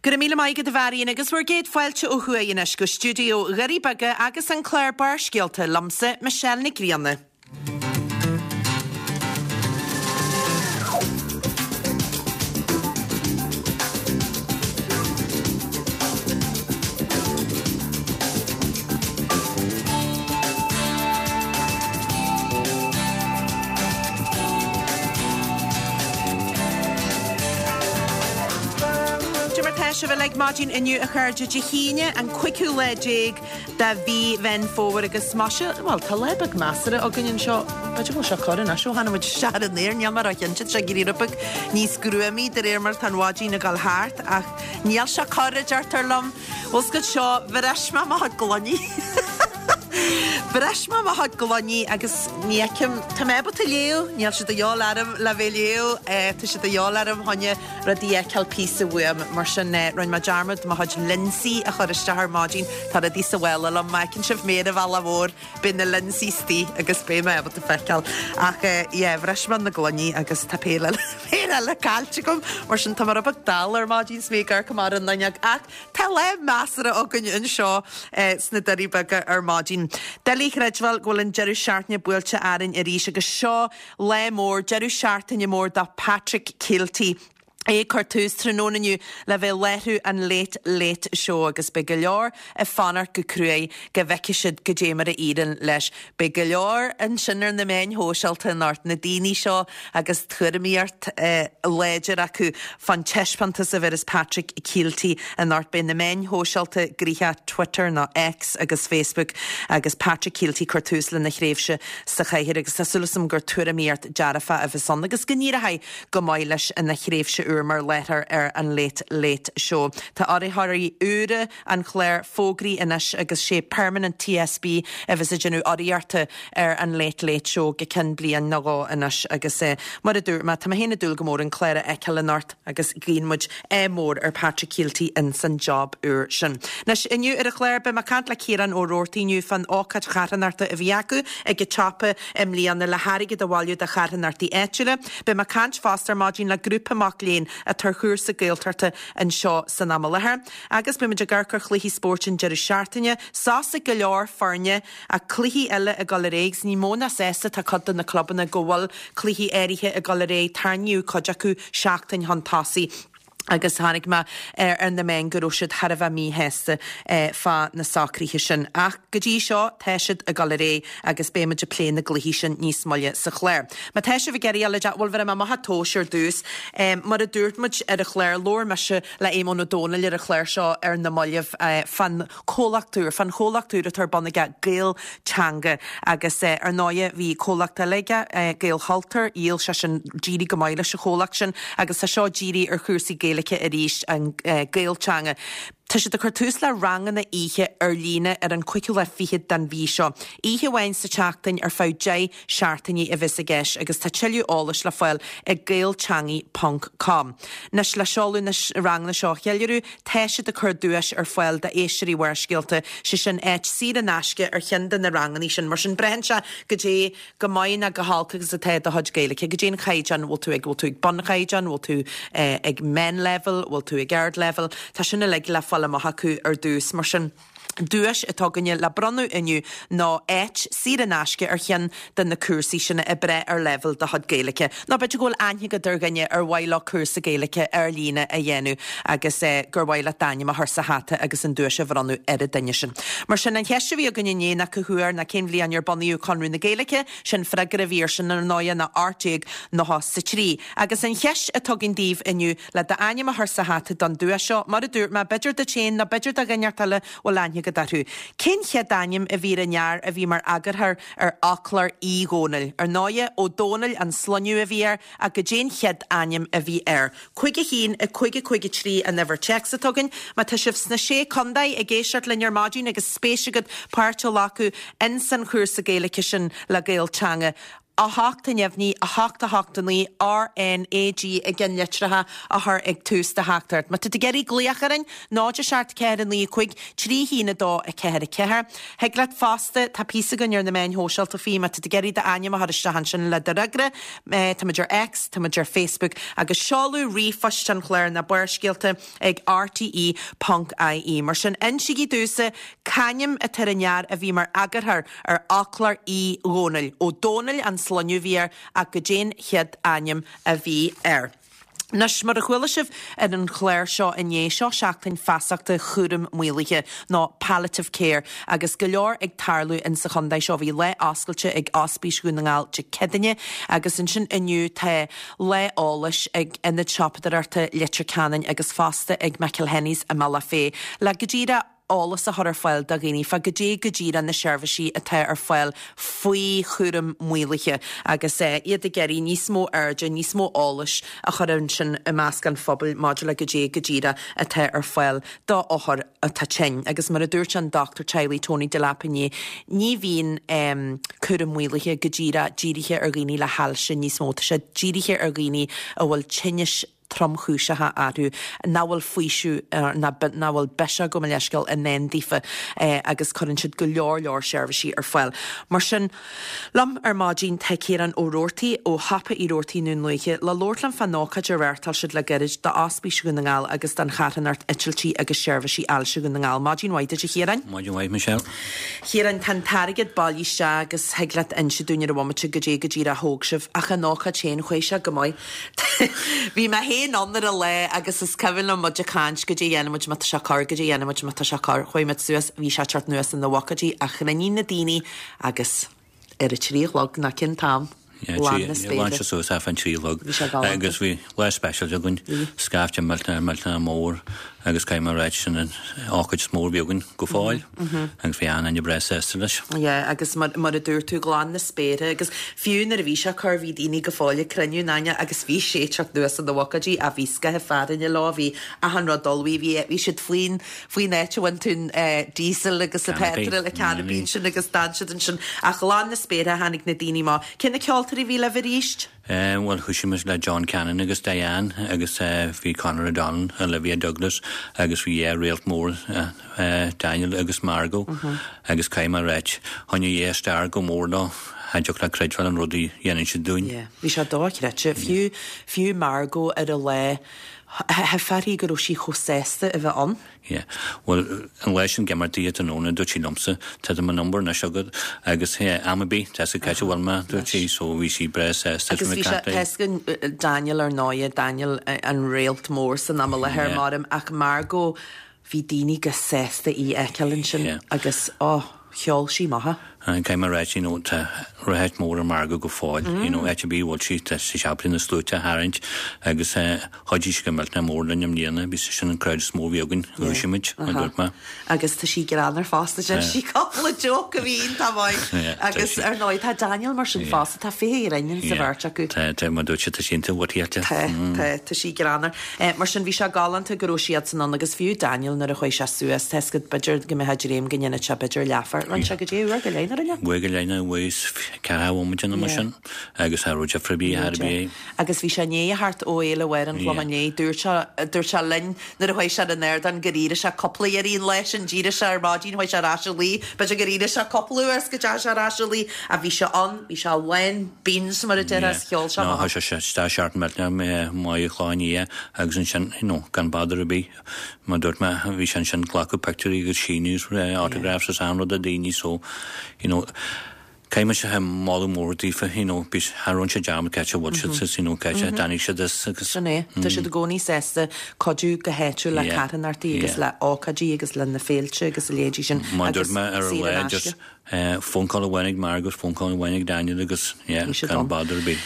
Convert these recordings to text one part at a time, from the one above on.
Go raibh míle maith agat a Mharion agus bhur gcéad fáilte ó thuaidh anois go stiúideo Dhoirí Beaga agus an clár Barrscéalta liomsa, Michelle Nic Grianna. Cad é mar tá sibh uilig maidin inniu a chairde Dé hAoine an cúigiú lá déag de mhí Mheán Fómhair agus maise, bhuel tá lá beag measartha againn anseo, b'fhéidir go bhfuil sé corr anois ó tháinig muid isteach ar an aer, níl mé ró-chinnte, tá sé ag éirí rud beag níos gruamaí de réir mar atá an mhaidin ag dul thart ach níl sé corr a deirtear liom. Bhfuil 's agat seo, bhris mé mo chuid gloiní. Bhris mé mo chuid gloiní agus ní fheicim, tá mé ábalta léamh, níl sé de dhíobháil orm le bheith ag léamh, tá sé de dhíobháil orm choinne rudaí a fheiceáil píosa uaim, mar sin rinne mé dearmad mo chuid lionsaí a chur isteach ar maidin, tá rudaí sa mhála liom, má fheiceann sibh mé ar an bhealach mhór, beidh na lionsaí istigh agus beidh mé ábalta feiceáil. Ach yeah, bhris mé na gloiní agus tá péire eile, péire eile caillte agam, mar sin tá mé rud beag dall ar maidin 's mé ag amharc amach an fhuinneog ach Tá lá measartha againn anseo sna Doirí Beaga ar maidin. Doiligh a chreidbheáil go bhfuil an deireadh seachtaine buailte orainn arís agus seo lá mór, deireadh seachtaine mór do Patrick Kielty. É ag cur tús tráthnóna inniu le bheith ag láithriú an Late Late Show agus beidh go leor ag fanacht go cruaidh go bhfeicfidh siad goidé mar a éiríonn leis. Beidh go leor ansin ar na meáin shóisialta anocht, na daoine seo agus tuairimíocht láidir acu fán taispeántas a bhéarfas Patrick Kielty anocht. Beidh na meáin shóisialta gnoitheach, Twitter nó X agus Facebook, agus Patrick Kielty ag cur tús lena thréimhse sa chathaoir agus tá súil agam gur tuairimíocht dearfach a bheas ann agus go n-éireoidh go maith leis ina thréimhse úr mar láithreoir ar an Late Late Show. Tá urraitheoirí úra an chláir fógraithe anois agus sé Permanent TSB a bheas ag déanamh urraíochta ar an Late Late Show go ceann bliain nó dhó anois agus mar a dúirt mé, tá mé féin ag dúil go mór an clár a fheiceáil anocht agus guíonn muid ádh mór ar Patrick Kielty ins an job úr sin. Anois, inniu ar an chlár, beidh mé ag caint le Ciarán Ó Roartaigh inniu fán ócáid charthanachta a bhí acu ag an tsiopa i mbliana le hairgead a bhailiú do charthanachtaí áitiúla. Beidh mé ag caint fosta ar maidin le grúpa mac léinn atá ar chúrsa Gaeltachta anseo san am i láthair. Agus beidh muid ag amharc ar chluichí spóirt an deireadh seachtaine. Sos ag go leor foirne ach cluichí eile ag dul ar aghaidh agus ní mó ná sásta atá cuid de na clubanna go bhfuil cluichí áirithe ag dul ar aghaidh. Tarraingíodh cuid acu seachtain chun tosaigh agus chonaic mé ar na meáin go raibh siad thar a bheith míshásta fá na socruithe sin. Ach go dtí seo tá siad ag dul ar aghaidh agus beidh muid ag plé na gcluichí sin níos moille sa chlár. Má tá sibh ag iarraidh a dhul, bhuel bhéarfaidh mé amach an tomhas ar dtús. Mar a dúirt muid ar an chlár, labhair mise le Éamonn Ó Dónaill ar an chlár seo ar na mallaibh fán chomhlacht úr, fán chomhlacht úr atá ar bun aige, Gael Teanga. Agus ar ndóighe bhí comhlacht eile aige, Gaelchultúr, dhíol sé sin, d'éirigh go maith leis an chomhlacht sin agus tá seo dírithe ar chúrsaí Gaeilge arís, an Gael Teanga. Tá siad ag cur tús le ranganna oíche ar líne ar an cúigiú lá fichead den mhí seo. Oíche amháin sa tseachtain ar feadh 10 seachtainí a bheas i gceist agus tá tuilleadh eolais le fáil ag gaelteangaidh ponc com. Anois le seoladh na ranganna seo a cheiliúradh, tá siad ag cur duais ar fáil d'éisteoirí Bharrscéalta, sé sin áit saor in aisce ar cheann de na ranganna sin. Mar sin braitheann sé goidé go maith ná go holc agus atá do chuid Gaeilge, goidé an chaighdeán bhfuil tú ag, bhfuil tú ag bunchaighdeán, bhfuil tú ag meánleibhéal, bhfuil tú ag ardleibhéal, tá sin uilig le fáil amach acu ar dtús. Mar sin, duais atá againne le bronnadh inniu ná áit saor in aisce ar cheann de na cúrsaí sin ag brath ar leibhéal do chuid Gaeilge. Nó b'fhéidir go bhfuil aithne agat ar dhuine ar mhaith leo cúrsa Gaeilge ar líne a dhéanamh agus gur mhaith leat d'ainm a chur sa hata agus an duais a bhronnadh ar an duine sin. Mar sin, an cheist a bhí againn inné ná cá huair ná cén bhliain ar bunaíodh Conradh na Gaeilge, Sin freagra a bhí air sin ar ndóighe ná 1893. Agus an cheist atá againn daoibh inniu le d'ainm a chur sa hata don duais seo, mar a dúirt mé, b'fhéidir duit féin nó b'fhéidir do dhuine eile a bhfuil aithne agat orthu. Cén chéad ainm a bhí ar an fhear a bhí mar eagarthóir ar Fhoclóir Uí Dhónaill? Ar ndóighe, Ó Dónaill an sloinneadh a bhí air ach goidé an chéad ainm a bhí air? 5 1 5 5 3 an uimhir téacs atá againn. Má tá sibh sna Sé Contae ag éisteacht linn ar maidin agus spéis agat páirt a ghlacadh ins an chúrsa Gaeilge sin le Gael Teanga. 8 neamhní, 8 8 9, R N A G i gceannlitreacha a chur ag tús do theachtaireacht. Má tá tú ag iarraidh glaoch orainn, 0 7 4 9 5 3 1 2 4 4. Thig leat fosta, tá píosa againn ar na meáin shóisialta faoi, má tá tú ag iarraidh d'ainm a chur isteach ansin le do fhreagra, tá muid ar X, tá muid ar Facebook agus seoladh ríomhphoist an chláir ná Barrscéalta ag rte ponc ie. Mar sin, insígí domhsa c'ainm atá ar an fhear a bhí mar eagarthóir ar Fhoclóir Uí Dhónaill. Ó Dónaill an sloinneadh a bhí air ach goidé'n chéad ainm a bhí air. Anois, mar a chuala sibh ar an chlár seo inné, seo seachtain feasachta chúram maolaithe, nó palliative care, agus go leor ag tarlú in sa chontae seo. Bhí lá oscailte ag Ospís Dhún na nGall Dé Céadaoine agus ansin inniu tá lá eolais ag Ionad Siopadóireachta Leitir Ceanainn agus fosta ag McElhenney's i mBealach Féich le go díreach eolas a chur ar fáil do dhaoine fá goidé go díreach na seirbhísí atá ar fáil faoi chúram maolaithe agus iad ag iarraidh níos mó airde, níos mó eolais a chur ansin i measc an phobail maidir le goidé go díreach atá ar fáil do othair atá tinn. Agus mar a dúirt an dochtúir teaghlaigh Tony Delap inné, ní bhíonn cúram maolaithe go díreach dírithe ar dhaoine le hailse níos mó, tá sé dírithe ar dhaoine a bhfuil tinnis tromchúiseacha orthu nach bhfuil faoiseamh ná nach bhfuil biseach, gabh mo leithscéal, i ndán daofa agus cuireann siad go leor leor seirbhísí ar fáil. Mar sin, liom ar maidin tá Ciarán Ó Roartaigh ó Shiopa Uí Roartaigh i nDún Lúiche le labhairt liom fán ócáid a reáchtáil siad le gairid d'Ospís Dhún na nGall agus don Charthanacht Eitiltí agus Seirbhísí Ailse Dhún na nGall. Maidin mhaith duit a Chiaráin. Maidin mhaith Michelle. Chiaráin, tá an t-airgead bailithe isteach agus thig leat inse dúinn ar an bhomaite goidé go díreach a thóg sibh ach an ócáid féin, chuaigh sé go maith. Bhí mé féin ann ar an lá agus is cuimhin liom muid ag caint, goidé a dhéanfaidh muid má tá sé corr, goidé a dhéanfaidh muid má tá sé corr. Chuaigh muid suas, bhí sé ag teacht anuas ina bhucaidí ach chruinnigh na daoine agus ar a trí a chlog nó cén t-am, lán na spéire. Lán sé suas fán trí a chlog. Bhí sé galánta. Agus bhí lá speisialta againn, scaifte millteanach millteanach mór agus caithfidh mé a ráit sin an ócáid is mó a bhí againn go fóill agus bhí an-duine breá sásta leis. Yeah, agus mar, mar a dúirt tú, glan na spéire agus fiú nuair a bhí sé corr bhí daoine go fóill ag cruinniú in aithne agus bhí sé ag teacht anuas ina bhucaidí ach bhí scaitheamh fearthainne leo, bhí achan rud ullmhaithe, bhí, bhí siad faoin, faoin áit a bhfaigheann tú an eh, diesel agus an petrol, an canopy ansin agus d'fhan siad ansin ach ghlan na spéire tháinig na daoine amach. Cé na ceoltóirí a bhí libh arís? Bhuel, thoisigh muid le John Cannon agus Diane agus bhí Conor O'Donnell, Olivia Douglas agus bhí yeah réalt mór Daniel agus Margot agus caithfidh mé a ráit, choinnigh yeah star go mór leo, cha dtiocfadh leat creidbheáil an rud a dhéanann siad dúinn. Yeah, bhí sé dochreidte. Fiú, fiú Margot ar an lá, theip uirthi go raibh sí chomh sásta a bheith ann. Yeah. Bhuel, an lá sin ag imeacht di tráthnóna, dúirt sí liomsa, tá do mo number anois agat agus yeah, am ar bith, tá 'fhios agat cá háit a bhfuil mé, dúirt sí, so bhí sí breá sásta Agus bhí sé, tá 'fhios againn Daniel ar ndóighe, Daniel an réalt mór san am i láthair, Yeah. maram, ach Margot, bhí daoine go sásta í a fheiceáil ansin Yeah. agus, oh, cheol sí maith. Caithfidh mé a ráit, you know, tá rath mór ar Margot go fóill, you know, áit ar bith a bhfuil sí, tá sí ábalta na sluaite a tharraingt agus eh, Chuidigh sí go millteanach mór linn i mbliana, bhí sin an crowd is mó a bhí againn, dhúisigh muid, a dúirt mé. Agus tá sí greannmhar fosta, deir sí cúpla joke a bhí iontach maith. Agus ar ndóigh tá Daniel mar sin fosta, tá fiche grinn sa bheirt acu. Tá, tá, mar dúirt sé, tá sí iontach witty. Tá, tá, tá sí greannmhar. Mar sin bhí sé galánta go raibh siadsan ann agus fiú Daniel nuair a chuaigh sé suas, tá 'fhios agat b'fhéidir go mbeadh dream go ndéanfadh sé b'fhéidir leathuair, rinne sé goidé uair go leith nó rinne? Uair go leith nó uair is ceathracha bhomaite nó mar sin agus cha raibh difear ar bith, ar bith. Agus bhí sé i ndiaidh a theacht ó Fhéile Mháire an Chlocháin Léith. Dúirt sé, dúirt sé linn nuair a chuaigh sé ar an ardán gur éirigh sé cúpla iarraidh an lá sin. D'éirigh sé ar maidin, chuaigh sé ar ais a luí. B'fhéidir gur éirigh sé cúpla uair is go dteachaigh sé ar ais a luí. Ach bhí sé ann, bhí sé lán beans mar a déarfá is cheol sé amach. No, chuaigh sé isteach seart millteanach maith an Chlocháin Liath agus ansin, you know, gan bother ar bith, mar dúirt mé, bhí sé ansin ag glacadh pictiúirí agus síniú autographs is achan rud do daoine so, you know, Caithfidh mise moladh mór daofa, you know, bhí, cha rinne siad dearmad cá háit a bhfuil siad is, you know, cá háit a dtáinig siad as agus. Sin é. Tá siad i gcónaí sásta cuidiú go háitiúil le carthanachtaí agus le ócáidí agus le na féilte agus a leithéidí sin Mar agus dúirt mé ar an saor in lá aisce. just phone call amháin ag Margot, phone call amháin ag Daniel agus, yeah, Bhí siad gan ann. bother ar bith.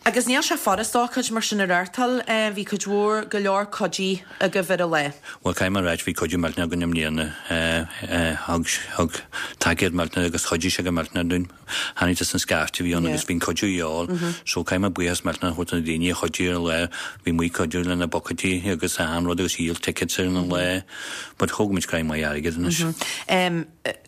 Agus níl sé furast ócáid mar sin a reáchtáil. Bhí cuid mhór, go leor cuidí agaibh ar an lá. Bhuel, caithfidh mé a ráit, bhí cuidiú millteanach againn i mbliana. Thug, thug tacaíocht millteanach agus chuidigh sé go millteanach dúinn. Tháinig tusa an scaifte a bhí ann agus bhí an cuidiú a dhíobháil. So caithfidh mé buíochas millteanach a thabhairt do na daoine a chuidigh ar an lá. Bhí muid ag cuidiú le na bucaidí agus achan rud agus dhíol tickets ar an lá. But thóg muid scraith maith airgid anois.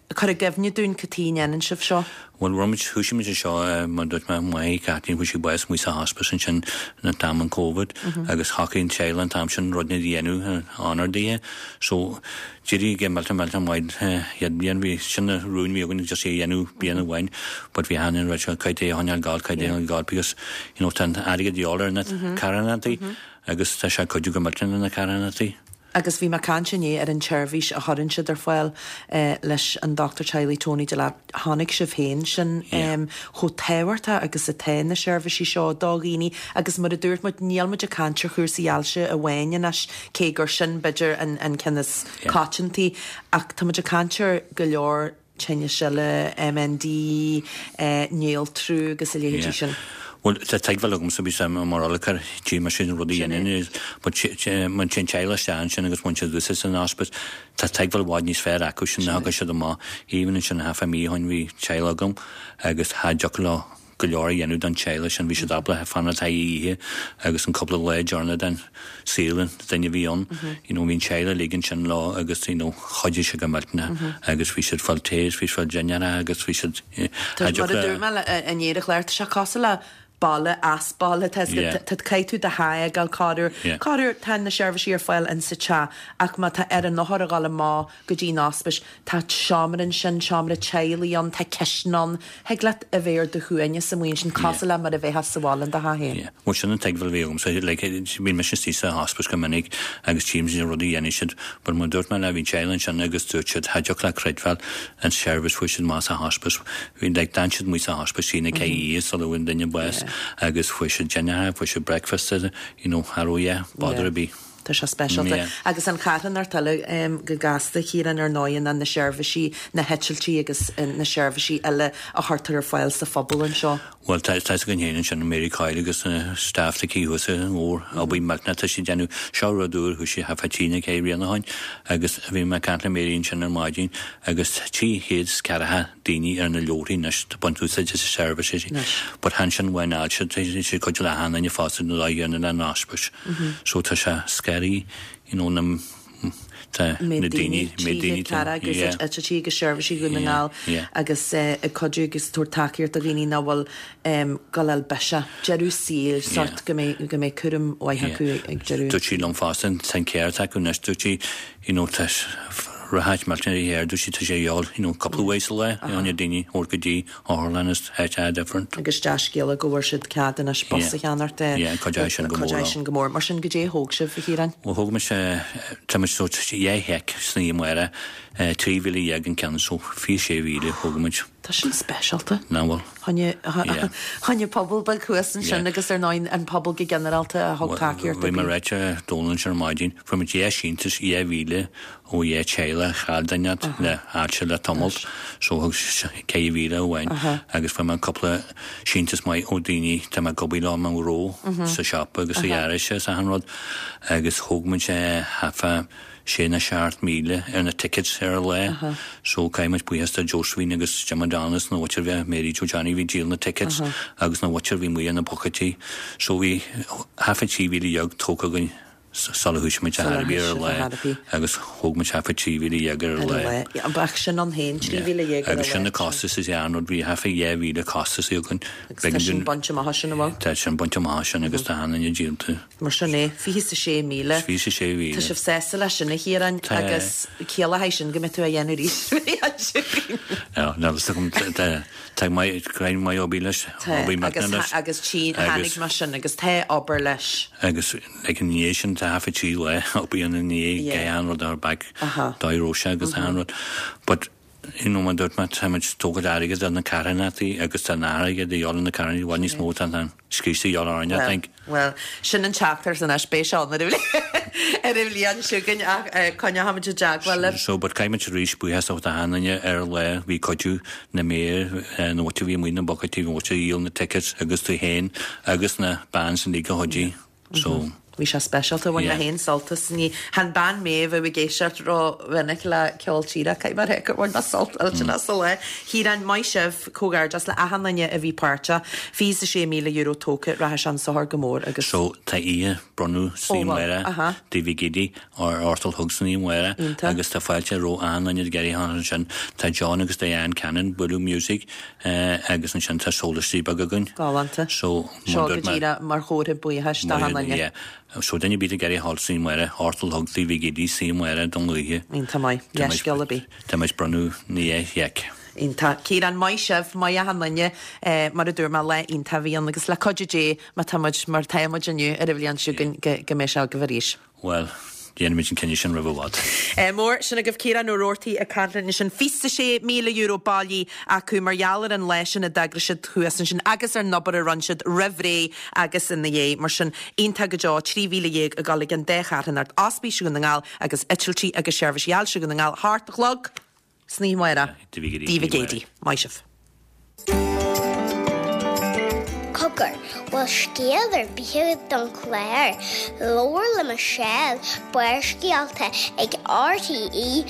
Cuir i gcuimhne dúinn cad chuige a ndéanann sibh seo. Bhuel, rinne muid, thoisigh muid é seo, mar a dúirt mé, máthair Kathleen, fuair sí bás amuigh sa hospice ansin in am an Covid agus shocraigh an teaghlach an t-am sin rud éigin a dhéanamh in onóir dithe. So, d'éirigh go millteanach millteanach maith chéad bhliain, bhí, sin an rún a bhí againn just é a dhéanamh bliain amháin but bhí achan duine ag rá caithfidh tú é a choinneáil ag gabháil, caithfidh tú é a choinneáil ag gabháil because, you know, tá an airgead de dhíobháil ar na carthanachtaí agus tá sé ag cuidiú go millteanach le na carthanachtaí. Agus bhí mé ag caint inné ar an tseirbhís a chuireann siad ar fáil leis an Dochtúir Teaghlaigh Tony Delap. Chonaic sibh féin sin chomh tábhachtach agus atá na seirbhísí seo do dhaoine agus mar a dúirt muid níl muid ag caint ar chúrsaí ailse amháin anois cé gur sin b'fhéidir an ceann is coitianta ach tá muid ag caint ar go leor tinnis eile, MND, néaltrú agus a leithéidí sin. Bhuel, tá tuigbheáil agamsa, bhí sé mar olcar tí mar sin rud a dhéanamh, but má téann teaghlach isteach ansin agus bhain siad úsáid san hospice, tá tuigbheáil i bhfad níos fearr acu sin ná thagann siad amach. Even ansin half a mí ó shin bhí teaghlach agam agus cha dtiocfadh leo go leor a dhéanamh don teaghlach sin. Bhí siad ábalta fanacht thar oíche agus an cúpla lá deireanach den saol an duine a bhí ann. You know, bhí an teaghlach uilig ansin leo agus you know, chuidigh sé go millteanach agus bhí siad fáil tae, bhí siad fáil dinnéar agus bhí siad Tá mar a dúirt mé inné ar an chlár, tá sé cosúil le baile as baile, tá tá caithfidh tú do theach a fhágáil corruair. Corruair tá na seirbhísí ar fáil in sa teach ach má tá ar an othar a dhul amach go dtí an ospís. Tá seomra ansin, seomra teaghlaigh ann, tá cistin ann. Thig leat a bheith ar do shuaimhneas amuigh ansin, cosúil le mar a bheifeá sa bhaile in do theach féin. Yeah. Bhuel, sin an tuigbheáil a bhí agamsa. Like, bhí mise istigh sa hospice go minic agus tchím na rudaí a dhéanann siad. But mar a dúirt mé leat, bhí teaghlach ansin agus dúirt siad, cha dtiocfadh leat creidbheáil an seirbhís fuair siad amach sa hospice. Bhí, like, d'fhan siad amuigh sa hospice trí nó ceathair oíche sula bhfuair an duine bás agus fuair siad dinnéar, fuair siad breakfast, you know, cha raibh, yeah, bother ar bith. Tá sé speisialta. Agus an charthanacht eile go gasta, a Chiaráin, ar ndóigh, ná na seirbhísí, na heitiltí agus na seirbhísí eile a chuirtear ar fáil sa phobal anseo. Bhuel, tá fhios againn féin ansin, Mary Coyle agus na staff aici thuas i nGobhar, obair mhillteanach atá siad ag déanamh. Seo rud úr, thoisigh thart fá trí nó ceithre bliana ó shin agus bhí mé ag caint le Mary ansin ar maidin agus 340 daoine ar na leabharthaí anois ag baint úsáid as an seirbhís. But chan sin amháin ailse, tá sé cuid le achan duine fosta na dóigh ar na hospice. So tá sé scary, you know, na tá na daoine, méid daoine tá, yeah. Eitiltí agus seirbhísí Dhún na nGall agus ag cuidiú agus tabhairt tacaíocht do dhaoine nach bhfuil ag dul biseach, deireadh saoil, sort go mbeidh go mbeidh cúram mhaith acu ag deireadh. Dúirt sí liom fosta, tá an ceart acu anois, dúirt sí, you know, tá ráit millteanach ar dúirt sí, tá sé a dhíobháil, you know, cúpla uair sa lá, you know, na daoine a thabhairt go dtí otharlann is áit different. Agus dea-scéala go bhfuair siad cead anois bus a cheannacht. Yeah, cuideoidh sin go mór. Cuideoidh sin go mór. Mar sin, goidé a thóg sibh, a Chiaráin? Bhuel, thóg mise, tá muid sórt dhá sheic san oíche amárach, 13,000 an ceann, so 26,000 a thóg muid. Tá sin speisialta. Nach bhfuil? Choinne pobal beag thuas ansin agus ar ndóigh an pobal go ginearálta a thug tacaíocht Bhí mé ag ráit le Dónal ansin ar maidin, fuair muid dhá síntiús 2,000 ó dhá teaghlach a chaill duine le hailse le tamalt so thug 4,000 amháin agus fuair mé cúpla síntiús maith ó daoine tá mé ag obair leo i mo ghnó sa siopa agus sa gharáiste is achan rud agus thóg muid thart fá sé nó 7,000 ar na tickets ar an lá so caithfidh muid buíochas do Josephine agus Jim O'Donnell is na mhuintir bhí Mary Joe Johnny bhí ag díol na tickets agus na mhuintir bhí amuigh ar na bucaidí so bhí thart fá 13,000 tógtha againn sula thoisigh muid ar bith ar an lá agus thóg muid thart fá 13,000 ar an lá. Ach sin ann féin, 13,000 ar an lá. Agus sin na costais is an rud bhí thart fá 2,000 costas againn. Agus tá sin bainte amach as sin, an bhfuil? Tá sin bainte amach as sin agus tá achan duine díolta. Mar sin é, 26,000. 26,000. Tá sibh sásta leis sin, a Chiaráin, Tá. agus ciallóidh sin go mbeidh tú á dhéanamh arís an bhliain seo chugainn. Yeah, níl fhios agam, tá, tá maith, greim maith obair leis, Tá, obair agus, mhachnamh leis. agus tí, tháinig Agus, mar sin, agus tá obair leis. agus, like, ina dhiaidh sin, tá thart fá trí lá obair ina ndiaidh, Yeah. gach aon rud ar back, Aha. dóigh raibh sé agus achan rud. But, You know, mar dúirt mé, tá muid ag tógáil airgead ar na carthanachtaí agus tá an airgead a dhíobháil ar na carthanachtaí i bhfad níos mó tá an scríosta a dhíobháil orainn, I think. Bhuel, sin an teachtaireacht anois, beidh sé ann ar an ar an bhliain seo chugainn ach coinneochaimid i dteagmháil libh. So, but caithfidh muid arís buíochas a thabhairt d'achan duine ar an lá, bhí cuidiú na méir, na mhuintir a bhí amuigh na bucaidí, na mhuintir a dhíol na tickets agus tú féin agus na bands uilig a chuidigh. So. Bhí sé speisialta, bhain mé féin sult as. Ní chan bean mé a bheadh ag éisteacht ró-mhinic le ceol tíre, caithfidh mé a rá gur bhain mé sult millteanach as an lá. Chiaráin, maith sibh, comhghairdeas le achan duine a bhí páirteach. €26,000 tógtha, rachaidh sé chun sochair go mór agus. So tá oíche bronnadh san oíche amárach Taobh Mhic Éadaigh ar a hocht a chlog san oíche amárach agus tá fáilte roimh achan duine ag iarraidh a theacht ansin. Tá John agus Diane Cannon bualadh music agus ansin tá sólaistí beaga againn. Galánta. So, Seo go díreach mar chomhartha buíochais d'achan duine. Yeah. So duine ar bith ag iarraidh a ghabháil san oíche amárach, a hocht a chlog Taobh Mhic Éadaigh san oíche amárach don oíche. Iontach maith. Leithscéal ar bith. Tá muid bronnadh na sheic. Iontach. Ciarán, maith sibh, maith achan duine. Mar a dúirt mé, lá iontach a bhí ann agus le cuidiú Dé má tá muid mar tá muid inniu ar an bhliain seo chugainn go mbeidh sé agaibh arís. Bhuel, déanfaimid an cinneadh sin roimh i bhfad. Mór, sin agaibh Ciarán Ó Rabhartaigh ag caint linn ansin. €26,000 bailithe acu mar gheall ar an lá sin a d'eagraigh siad thuas ansin agus ar an obair a rinne siad roimh ré agus ina dhiaidh. Mar sin, iontach go deo, 13,000 ag dul ag an dá charthanacht, Ospís Dhún na nGall agus Eitiltí agus Seirbhísí Ailse Dhún na nGall, a hocht a chlog san oíche amárach. Taobh Mhic Éadaigh. Maith sibh. Cogar, bhfuil scéal ar bith agat don chlár? Labhair le Michelle, Barrscéalta ag RTE.ie.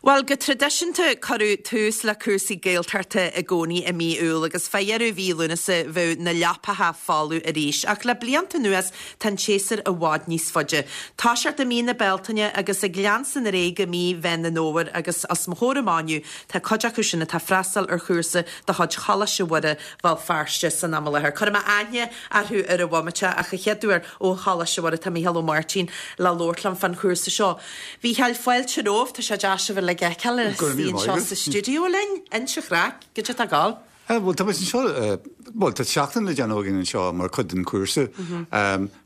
Bhuel, go traidisiúnta cuireadh tús le cúrsaí Gaeltachta i gcónaí i mí Iúil agus fá dheireadh mhí Lúnasa bheadh na leapacha folamh arís. Ach le blianta anuas tá an tséasúr i bhfad níos faide. Toiseacht i mí na Bealtaine agus ag leanstan ar aghaidh go mí Mheán an Fhómhair agus os mo chomhair amach inniu tá cuid acu sin atá ag freastal ar chúrsa de chuid Choláiste Mhuire, Bhéal Feirste san am i láthair. Cuirfidh mé aithne orthu ar an bhomaite ach an chéad uair ó Choláiste Mhuire tá Mícheál Ó Máirtín le labhairt liom fán chúrsa seo. Mhícheáil, fáilte romhat, tá sé deas sibh uilig a fheiceáil Go raibh míle istigh maith anseo agat. sa stiúideo linn. Inis an chraic, goidé atá ag gabháil? Bhuel, tá muid anseo, bhuel, tá seachtain le déanamh againn anseo mar chuid den chúrsa.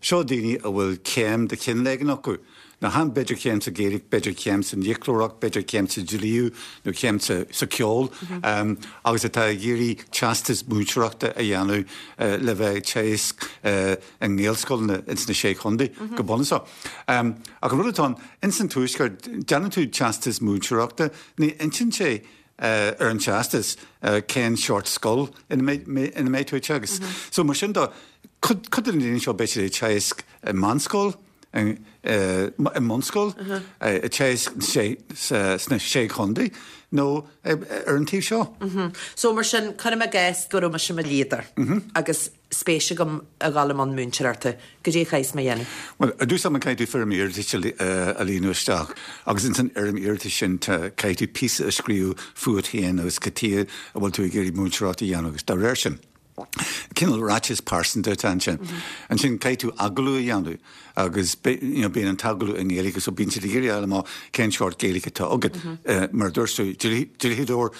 Seo daoine a bhfuil céim de chineál éigin acu. Nó chan b'fhéidir céim sa Ghaeilge, b'fhéidir céim san fhiaclóireacht, b'fhéidir céim sa dlí nó céim sa cheol, agus atá ag iarraidh teastas múinteoireachta a dhéanamh le bheith ag teagasc i nGaelscoileanna ins na Sé Chontae, go bunúsach. Ach an rud atá ann, ins an Tuaisceart, déanann tú teastas múinteoireachta, ní insíonn sé ar an teastas cén seort scoil ina mbeidh tú ag teagasc. So mar sin de, cuid de na daoine seo beidh siad ag teagasc i meánscoil, i mbunscoil, ag teagasc sna Sé Chontae nó ar an taobh seo. So mar sin, cuirim i gcás go raibh mise i mo dhlíodóir agus spéis agam a dhul i mbun múinteoireachta, goidé a chaithfeas mé a dhéanamh? Bhuel, ar dtús ama caithfidh tú foirm iarratais a líonadh isteach agus ins an fhoirm iarratais sin tá, caithfidh tú píosa a scríobh fúat féin agus cad chuige a bhfuil tú ag iarraidh múinteoireacht a dhéanamh agus dá réir sin, cineál ráiteas pearsanta atá ansin. Ansin caithfidh tú agallamh a dhéanamh agus you know, bíonn an t-agallamh i nGaeilge so bíonn siad ag iarraidh a fháil amach cén seort Gaeilge atá agat. Mar a dúirt tú, dlíodóir,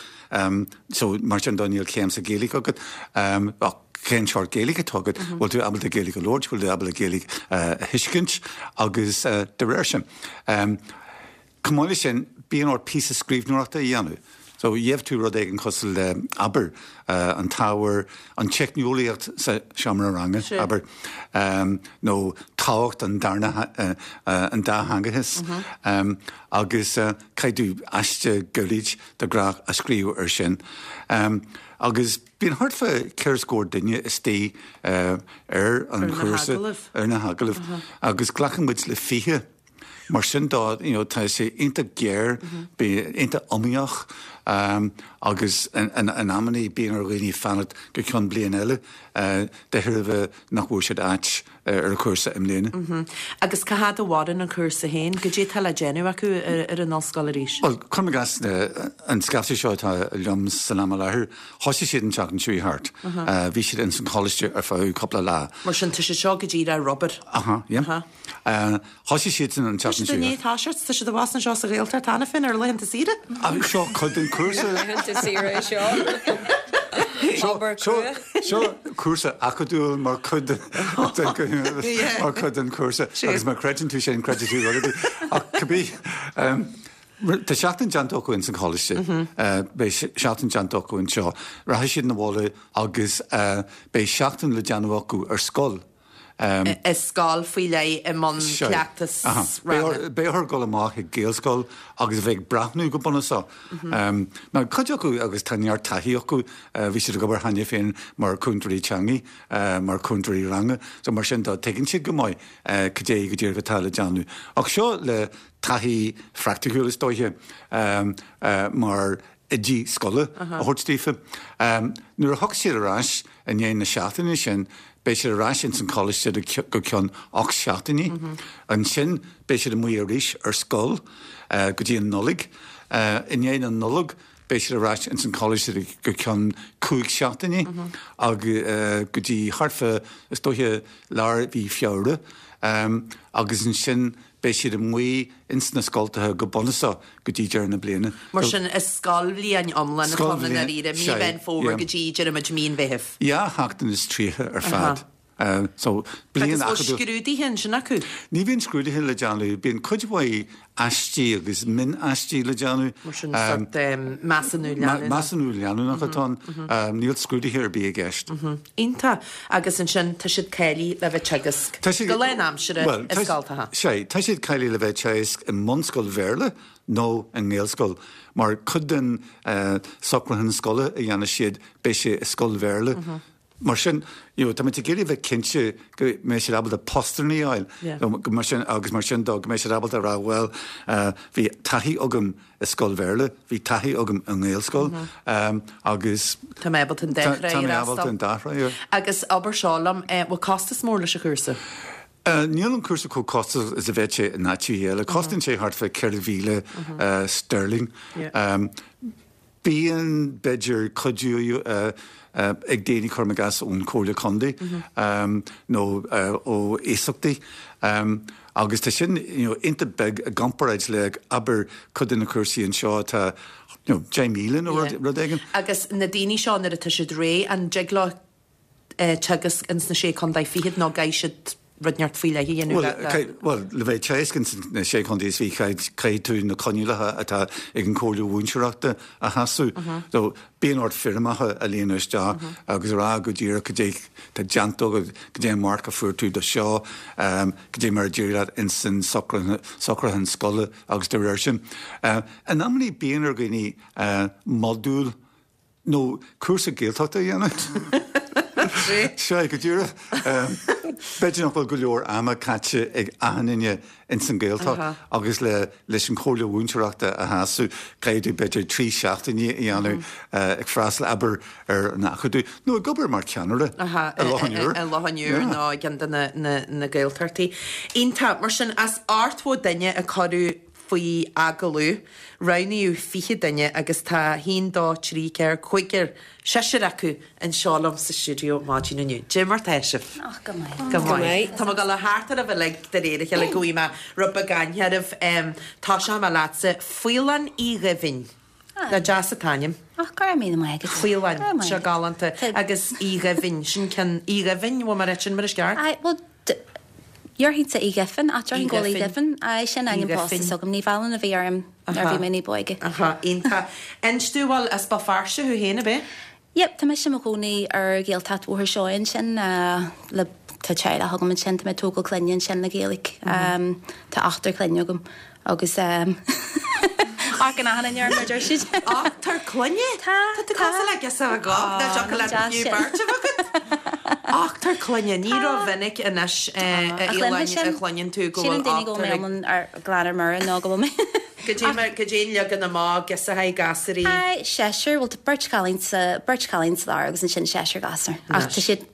So, mar sin de níl céim sa Ghaeilge agat, ach cén seort Gaeilge atá agat? Bhfuil tú ábalta Gaeilge a labhairt? Bhfuil tú ábalta Gaeilge a thuiscint? Agus de réir sin. Chomh maith leis sin, bíonn ort píosa scríbhneoireachta a dhéanamh. So, gheobhaidh tú rud éigin cosúil le, abair, an t-ábhar, an teicneolaíocht sa seomra ranga, abair, nó tábhacht an darna, an dátheangachas, agus caithfidh tú aiste gairid de ghnáth a scríobh air sin. Agus bíonn thart fá cheithre scór duine istigh ar an chúrsa, ar na hagallaimh, agus glacann muid le 20. Mar sin de, you know, tá sé iontach géar, bíonn iontach iomaíoch agus in amannaí bíonn ar dhaoine fanacht go ceann bliain eile de thairbhe nach bhfuair siad áit ar an chúrsa i mbliana. Agus cá fhad a mhaireann an cúrsa féin? Goidé atá le déanamh acu ar an ollscoil arís? Bhuel, cuirim i gcás an scaifte seo atá liom san am i láthair, thosaigh siad an tseachtain seo thart. Bhí siad ins an choláiste ar feadh cúpla lá. Mar sin, tá siad seo go díreach ar obair. Aha, yeah. Thosaigh siad san an tseachtain seo. Tá siad i ndiaidh toiseacht, tá siad abhus anseo sa Ghaeltacht cheana féin ar laethanta saoire. Seo cuid den chúrsa. Laethanta saoire é seo. Obair crua. Seo cúrsa acadúil mar chuid mar chuid den chúrsa agus má chreideann tú sin, creidfidh tú rud ar bith. Ach cibé, tá seachtain déanta acu ins an choláiste, beidh seachtain déanta acu anseo, rachaidh siad 'na bhaile agus beidh seachtain le déanamh acu ar scoil. I scoil faoi leith i mbun cleachtas ranga. Beidh orthu dul amach ag Gaelscoil agus a bheith ag breathnú go bunúsach. Now cuid acu agus tá neart taithí acu, bhí siad ag obair cheana féin mar chúntóirí teanga, mar chúntóirí ranga, so mar sin de tuigeann siad go maith cad é go díreach atá le déanamh. Ach seo le taithí phraiticiúil is dóiche mar oidí scoile a thabhairt daofa. Nuair a thiocfaidh siad ar ais i ndiaidh na seachtaine sin, beidh siad ar ais ins an choláiste go ceann 8 seachtainí. Ansin beidh siad amuigh arís ar scoil go dtí an Nollaig. I ndiaidh na Nollag beidh siad ar ais ins an choláiste go ceann 5 seachtainí agus go dtí thart fá, is dóiche, lár mhí Feabhra. Agus ansin Beidh siad amuigh ins na scoltacha go bunúsach go dtí deireadh na bliana. Mar sin, is scoilbhliain iomlán atá ann i ndáiríre, mí Mheán Fómhair go dtí, deirimid, mí an Mheithimh. Dhá sheachtain is tríocha ar fad. So, bliain acadúil. Agus bhfuil scrúduithe ansin acu? Ní bhíonn scrúduithe le déanamh. Bíonn cuid mhaith aistí agus mion-aistí le déanamh. Mar sin, sórt measúnú leanúnach. Measúnú leanúnach atá ann. Níl scrúduithe ar bith i gceist. Iontach. Agus ansin tá siad cáilithe le bheith teagasc go lánaimseartha i scoltacha. Sea, tá siad cáilithe le bheith teagasc i mbunscoil Bhéarla nó i nGaelscoil, mar cuid den socrúchán scoile a dhéanfaidh siad, beidh sé i scoil Bhéarla. Mar sin, you know, táimid ag iarraidh a bheith cinnte go mbeidh siad ábalta postanna a fháil, mar sin, agus mar sin dó, go mbeidh siad ábalta a rá, bhuel, bhí taithí agam i scoil Bhéarla, bhí taithí agam i nGaelscoil agus. Tá mé ábalta an dá thrá a fhreastal. Tá mé ábalta an dá thrá a. Agus abair seo liom, bhfuil costas mór leis an chúrsa? Níl an cúrsa chomh costasach is a bheadh sé in áiteacha eile. Cosnaíonn sé thart fá 4,000 sterling. Bíonn, b'fhéidir, cuidiú ag daoine, cuirim i gcás, ón Chomhairle Contae nó ó iasachtaí agus tá sin you know iontach beag i gcomparáid le, abair, cuid de na cúrsaí anseo atá you know 10,000 nó rud éigin. Agus na daoine seo nuair atá siad réidh, an dtig leo teagasc ins na Sé Contae Fichead nó caithfidh siad rud inteacht faoi leith a dhéanamh le. Bhuel, le bheith ag teagasc ins na Sé Chontae is Fiche caithfidh tú na coinníollacha atá ag an Chomhairle Mhúinteoireachta a shásamh. So, bíonn ort foirmeacha a líonadh isteach agus a rá go díreach cad é tá déanta agat, cad é an marc a fuair tú do seo, cad é mar a d'éirigh leat ins an socrúchán scoile agus dá réir sin. In amannaí bíonn ar dhaoine modúl nó cúrsa Gaeltachta a dhéanamh. Sea, go díreach. B'fhéidir nach bhfuil go leor ama caite ag achan duine ins an Ghaeltacht agus le leis an Chomhairle Mhúinteoireachta a shásamh, caithfidh tú b'fhéidir 3 seachtainí a dhéanamh ag freastal, abair, ar an acadamh nó ag obair mar cheannaire i Loch an Iúir. I Loch an Iúir nó i gceann de na Gaeltachtaí. Iontach. Mar sin, as 80 duine a cuireadh faoi agallamh, roghnaíodh 20 duine agus tá haon, dó, trí, ceathair, cúigear, seisear acu anseo liom sa stiúideo maidin inniu. Dé mar tá sibh? Ach, go maith. Go maith. Tá mé ag dul a theacht oraibh uilig de réir a chéile go bhfaighidh mé rud beag aithne oraibh. Tosóidh mé leatsa. Faoileán Uí Ghaibhín. Nach deas an t-ainm. Ach, go raibh míle maith agat. Faoileán. Seo galánta. Agus Uí Ghaibhín. Sin ceann Uí Ghaibhín, bhfuil mé ag rá sin mar is ceart? Aye, bhuel, déarfainnse Uí Ghiofin, ach déarfainn go bhfuil Uí Ghaibhín. Aye, sin ainm pósta s'agam. Ní Mhealláin a bhí orm nuair a bhí mé ní b'óige. Aha, iontach. Inis dúinn, bhuel, as Béal Feirste thú féin, ab é? Yep, tá mise i mo chónaí ar Ghaeltacht Bhóthar Seoighe ansin le, tá teaghlach agam ansin, tá mé ag tógáil clainne ansin le Gaeilge. Tá ochtar clainne agam agus amharcann achan duine orm mar deir siad. Ochtar clainne? Tá, tá. Tá tú cosúil le girseach agam, nach dtiocfadh leat fiú beirt a bheith agat. Ochtar clainne, ní rómhinic anois a Fhaoileáin a chluineann tú go bhfuil ochtar ag. Síleann daoine go bhfuil mé iomlán ar glan ar mire nó go bhfuil mé. Cad é an leagan amach, girseachaí, gasúraí? Aye, seisear, bhuel tá beirt chailín sa, beirt chailín sa lár agus ansin seisear gasúr. Ach tá siad,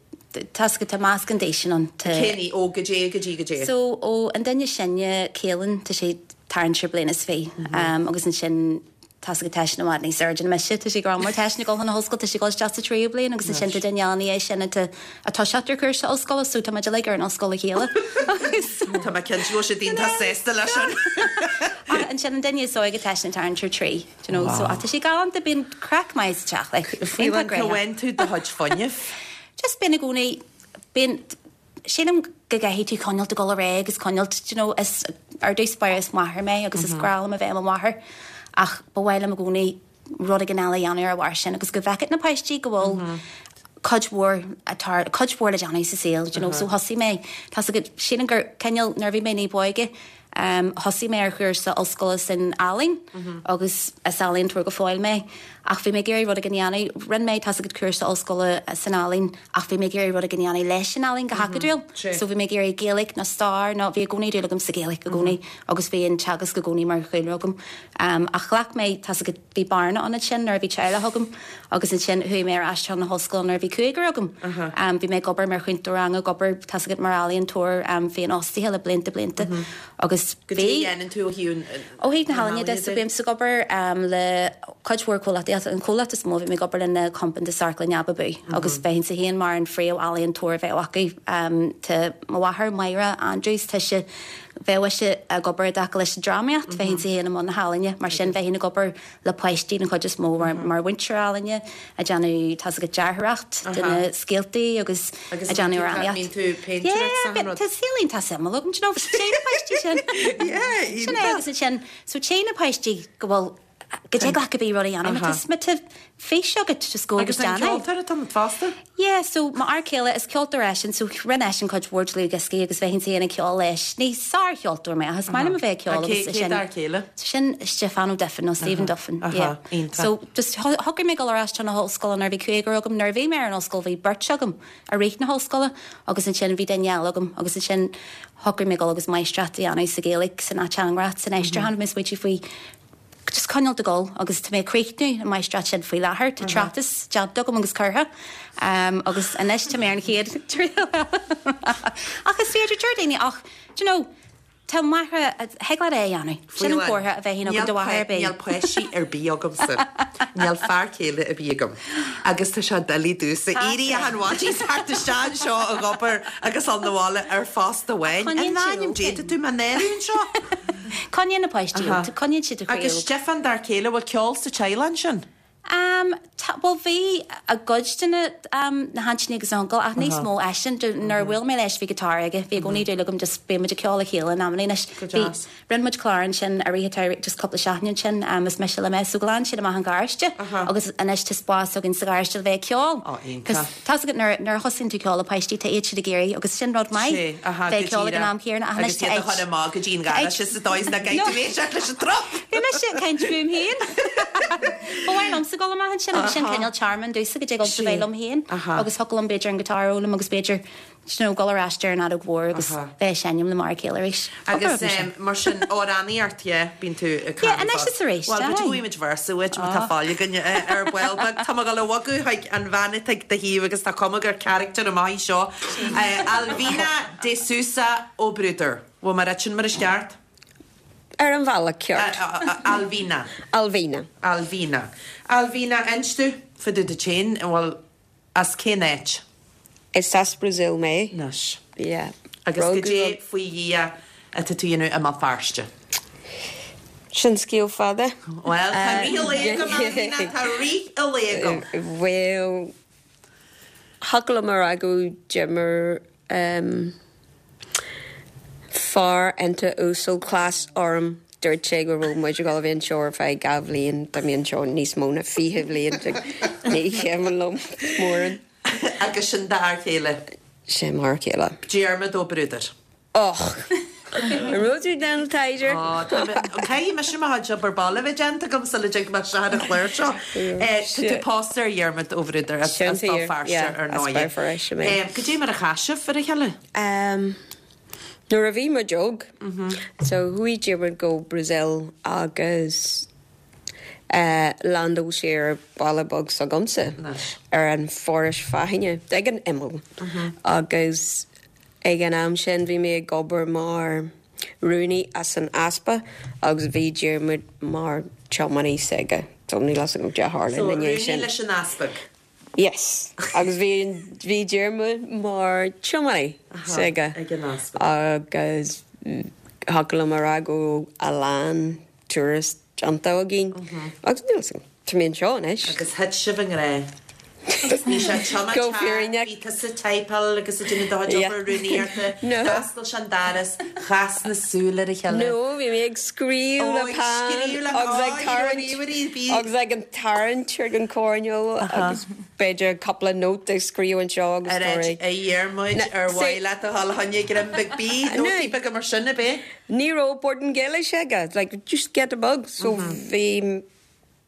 tá 's agat, tá meascán d'aoiseanna ann. Tá. Cén aois, ó goidé go dtí goidé? So, ó an duine is sine, Caelan, tá sé tarraingt ar bliain is fiche, agus ansin tá 's agat tá eisean i bhfad níos airde ná mise, tá sé ag rá mar tá eisean ag dul chun na hollscoile, tá sé ag dul isteach sa tríú bliain agus ansin tá duine eile ina dhiaidh sin atá ag toiseacht ar chúrsa ollscoile so tá muid uilig ar an ollscoil le chéile agus. Tá mé cinnte go bhfuil siad iontach sásta leis sin. Ach ansin an duine is óige tá eisean ag tarraingt ar trí, do you know, so ach tá sé galánta, bíonn craic maith sa teach, like, Faoileán, cá bhfaigheann tú do chuid fuinnimh? Just bíonn i gcónaí, bíonn, sílim go gcaithfidh tú coinneáilt ag dul ar aghaidh agus coinneáilt, do you know, is, ar dtús báire is máthair mé agus is grá liom a bheith i mo mháthair ach ba mhaith liom i gcónaí rud éigin eile a dhéanamh ar a bharr sin agus go bhfeicfeadh na páistí go bhfuil. cuid mhór atá, cuid mhór le déanamh sa saol, do you know, so thosaigh mé, tá's agat, sílim gur cineál, nuair a bhí mé ní b'óige, thosaigh mé ar chúrsa ollscoile san ealaín agus is ealaíontóir go fóill mé ach bhí mé ag iarraidh rud éigin a dhéanamh, rinne mé, tá's agat, cúrsa ollscoile san ealaín ach bhí mé ag iarraidh rud éigin a dhéanamh leis an ealaín go hacadúil, so bhí mé ag iarraidh Gaeilge nó stair nó bhí i gcónaí dúil agam sa Ghaeilge i gcónaí agus bhí an teagasc i gcónaí mar chúlra agam ach ghlac mé, tá's agat, Bhí bearna ann ansin nuair a bhí teaghlach agam agus ansin chuaigh mé ar ais chun na hollscoile nuair a bhí cúigear agam. Bhí mé ag obair mar chúntóir ranga, ag obair, tá's agat, mar ealaíontóir féinfhostaithe le blianta blianta agus Goidé a dhéanann tú ó thaobh na Ó thaobh na healaíne de, so bímse ag obair le cuid mhór comhlachtaí ach an comhlacht is mó a bhím ag obair le ná compántas Amharclann Ababú agus bheinnse féin mar an phríomh-ealaíontóir a bheadh acu. Tá mo mháthair, Máire Andrews, tá sí Bheadh ise ag obair i dtaca leis an drámaíocht, bheinnse féin i mbun na healaíne, mar sin bheinn ag obair le páistí den chuid is mó mar mhúinteoir ealaíne, ag déanamh, tá's agat, dearthóireacht de na scéaltaí agus ag déanamh amhránaíocht. Yeah, tá saol iontach suimiúil agam, do you know, téann na páistí sin. Sin é agus ansin, so téann na páistí go bhfuil go dtig leat cibé rud a dhéanamh má tá má tá fís agat just go agus déan é. Agus an ceoltóir atá ionat fosta? Yeah, so mo fhear céile is ceoltóir eisean so rinne eisean cuid mhór dlúthdhioscaí agus bheinnse féin ag ceol leis. Ní sárcheoltóir mé ach is maith liom a bheith ag ceol agus Cé cé d'fhear céile? So sin Stiofán Ó Duifin nó Stephen Duffin. Aha, iontach. So just shocraigh mé dul ar ais chun na hollscoile nuair a bhí cúigear agam. Nuair a bhí mé ar an ollscoil bhí beirt agam i rith na hollscoile agus ansin bhí duine eile agam agus ansin shocraigh mé dul agus máistreacht a dhéanamh sa Ghaeilge, san ateangaireacht, san aistriúchán. Bhí mé ag smaointiú faoi just coinneáil ag dul agus tá mé ag críochnú an máistreacht sin faoi láthair, tá tráchtas déanta agam agus curtha agus anois tá mé ar an chéad triail eile. Ach is féidir, deir daoine ach, do you know, tá máithre, thig leat é a dhéanamh. Sin an comhartha a bheinn agam do mháthair ar bith. Níl páistí ar bith agamsa. Níl fear céile ar bith agam. Agus tá sé doiligh domhsa éirí achan mhaidin is theacht isteach anseo ag obair agus dul 'na bhaile ar phost amháin. In ainm Dé, tá tú mé a náiriú anseo. Coinníonn na páistí óg, coinníonn siad do chroí óg. Agus Stiofán d'fhear céile, bhfuil ceol sa teaghlach ansin? Ehm, tá, bhuel bhí i gcuid de na, ehm, na haintíní agus na huncail ach níos mó eisean, nuair a bhuail mé leis bhí guitar aige, bhí i gcónaí dúil agam just bíonn muid ag ceol le chéile in amannaí anois. Go deas. Bhí, rinne muid clár ansin i rith an tsamhraidh, just cúpla seachtain ansin, ehm, is mise le mé, so ghlan siad amach an garáiste agus anois tá spás againn sa gharáiste le bheith ag ceol. Ó, iontach. Tá's agat nuair nuair a thosaíonn tú ceol le páistí tá iad siad ag iarraidh agus sin rud maith Sé, aha, bheith ag ceol ag an am chéanna ach anois Agus tá iad a chur amach go dtí an gharáiste sa dóigh is nach gcaithfidh tú éisteacht leis an trup! Bhí mise ag caint fúm féin. Ba mhaith liomsa dul amach ansin agus sin cineál tearmann domhsa go dtig liomsa bheith liom féin agus thiocfadh liom b'fhéidir an guitar a fhoghlaim agus b'fhéidir you know, dul ar ais ar an fheadóg mhór agus bheith ag seinm le m'fhear céile arís. Agus mar sin, amhránaíocht, yeah, bíonn tú ag Yeah, anois is arís, Bhuel, b'fhéidir go bhfaighimid véarsa uait má tá fáil againn ar ball beag. Tá mé ag dul a bhogadh chuig an bhean atá ag do thaobh agus tá cuma gur character amach í seo. Alvina de Sousa Ó Bruadair. Bhfuil mé ag ráit sin mar is ceart? Ar an bhealach ceart. Alvina. Alvina. Alvina. Alvina, inis domh fá dtaobh duit féin, bhuel, As cén áit? Is as Brazil mé. Anois. Yeah. Agus goidé faoi Dhia atá tú a dhéanamh i mBéal Feirste? Sin scéal fada. Bhuel, tá rith an lae agam, Alvina, tá rith an lae agam. Bhuel, thiocfadh liom a rá go d'imir Fear iontach uasal cleas orm. Dúirt sé go raibh muid ag dul a bheith anseo ar feadh 2 bhliain. Tá mé anseo níos mó ná 20 bhliain. Ní cuimhin liom mórán. Agus sin d'fhear céile? Sin m'fhear céile. Diarmaid Ó Bruadair. Och! An raibh tú ag déanamh taighde? Ó, tá mé, caithfidh mise mo chuid obair baile a bheith déanta agam sula dtig mé isteach ar an chlár seo. Tá tú pósta ar Dhiarmaid Ó Bruadair as Béal Feirste, ar ndóigh. As Béal Feirste mé. Goidé mar a chas sibh ar a chéile? Nuair a bhí muid óg, so chuaigh Diarmuid go Brazil agus landáil sé ar baile beag s'agamsa ar an Forais Fáithne, ag an imeall. Agus ag an am sin bhí mé ag obair mar rúnaí as an easpag agus bhí Diarmuid mar tiománaí s'aige. So níl fhios agam cad a tharla So ina ndiaidh rúnaí sin. leis an easpag. Yes. Agus bhí bhí Diarmuid mar tiománaí s'aige. Ag an easpag. Agus thiocfadh liom a rá go raibh a lán turas déanta againn. Agus níl fhios agam, tá mé anseo anois. Agus thit sibh i ngrá. Bhí sé ag tiomáint Go thart, fírinneach. bhí tusa ag typeáil agus ag déanamh do chuid Yeah. obair rúnaíochta, No. d'oscail sé an doras, chas na súile ar a chéile. No, bhí mé ag scríobh Ó, le ag peann scríobh le agus ag oh, you know, tarraingt ríomhairí, bhí. agus ag an tarraingt ar an choirnéal agus. b'fhéidir cúpla nóta a scríobh anseo agus A Dhiarmuid, ar mhaith leat a dhul a choinne greim beag bídh, nótaí beaga mar sin, ab é? Ní raibh Portaingéilis aige, like just giota beag, so bhí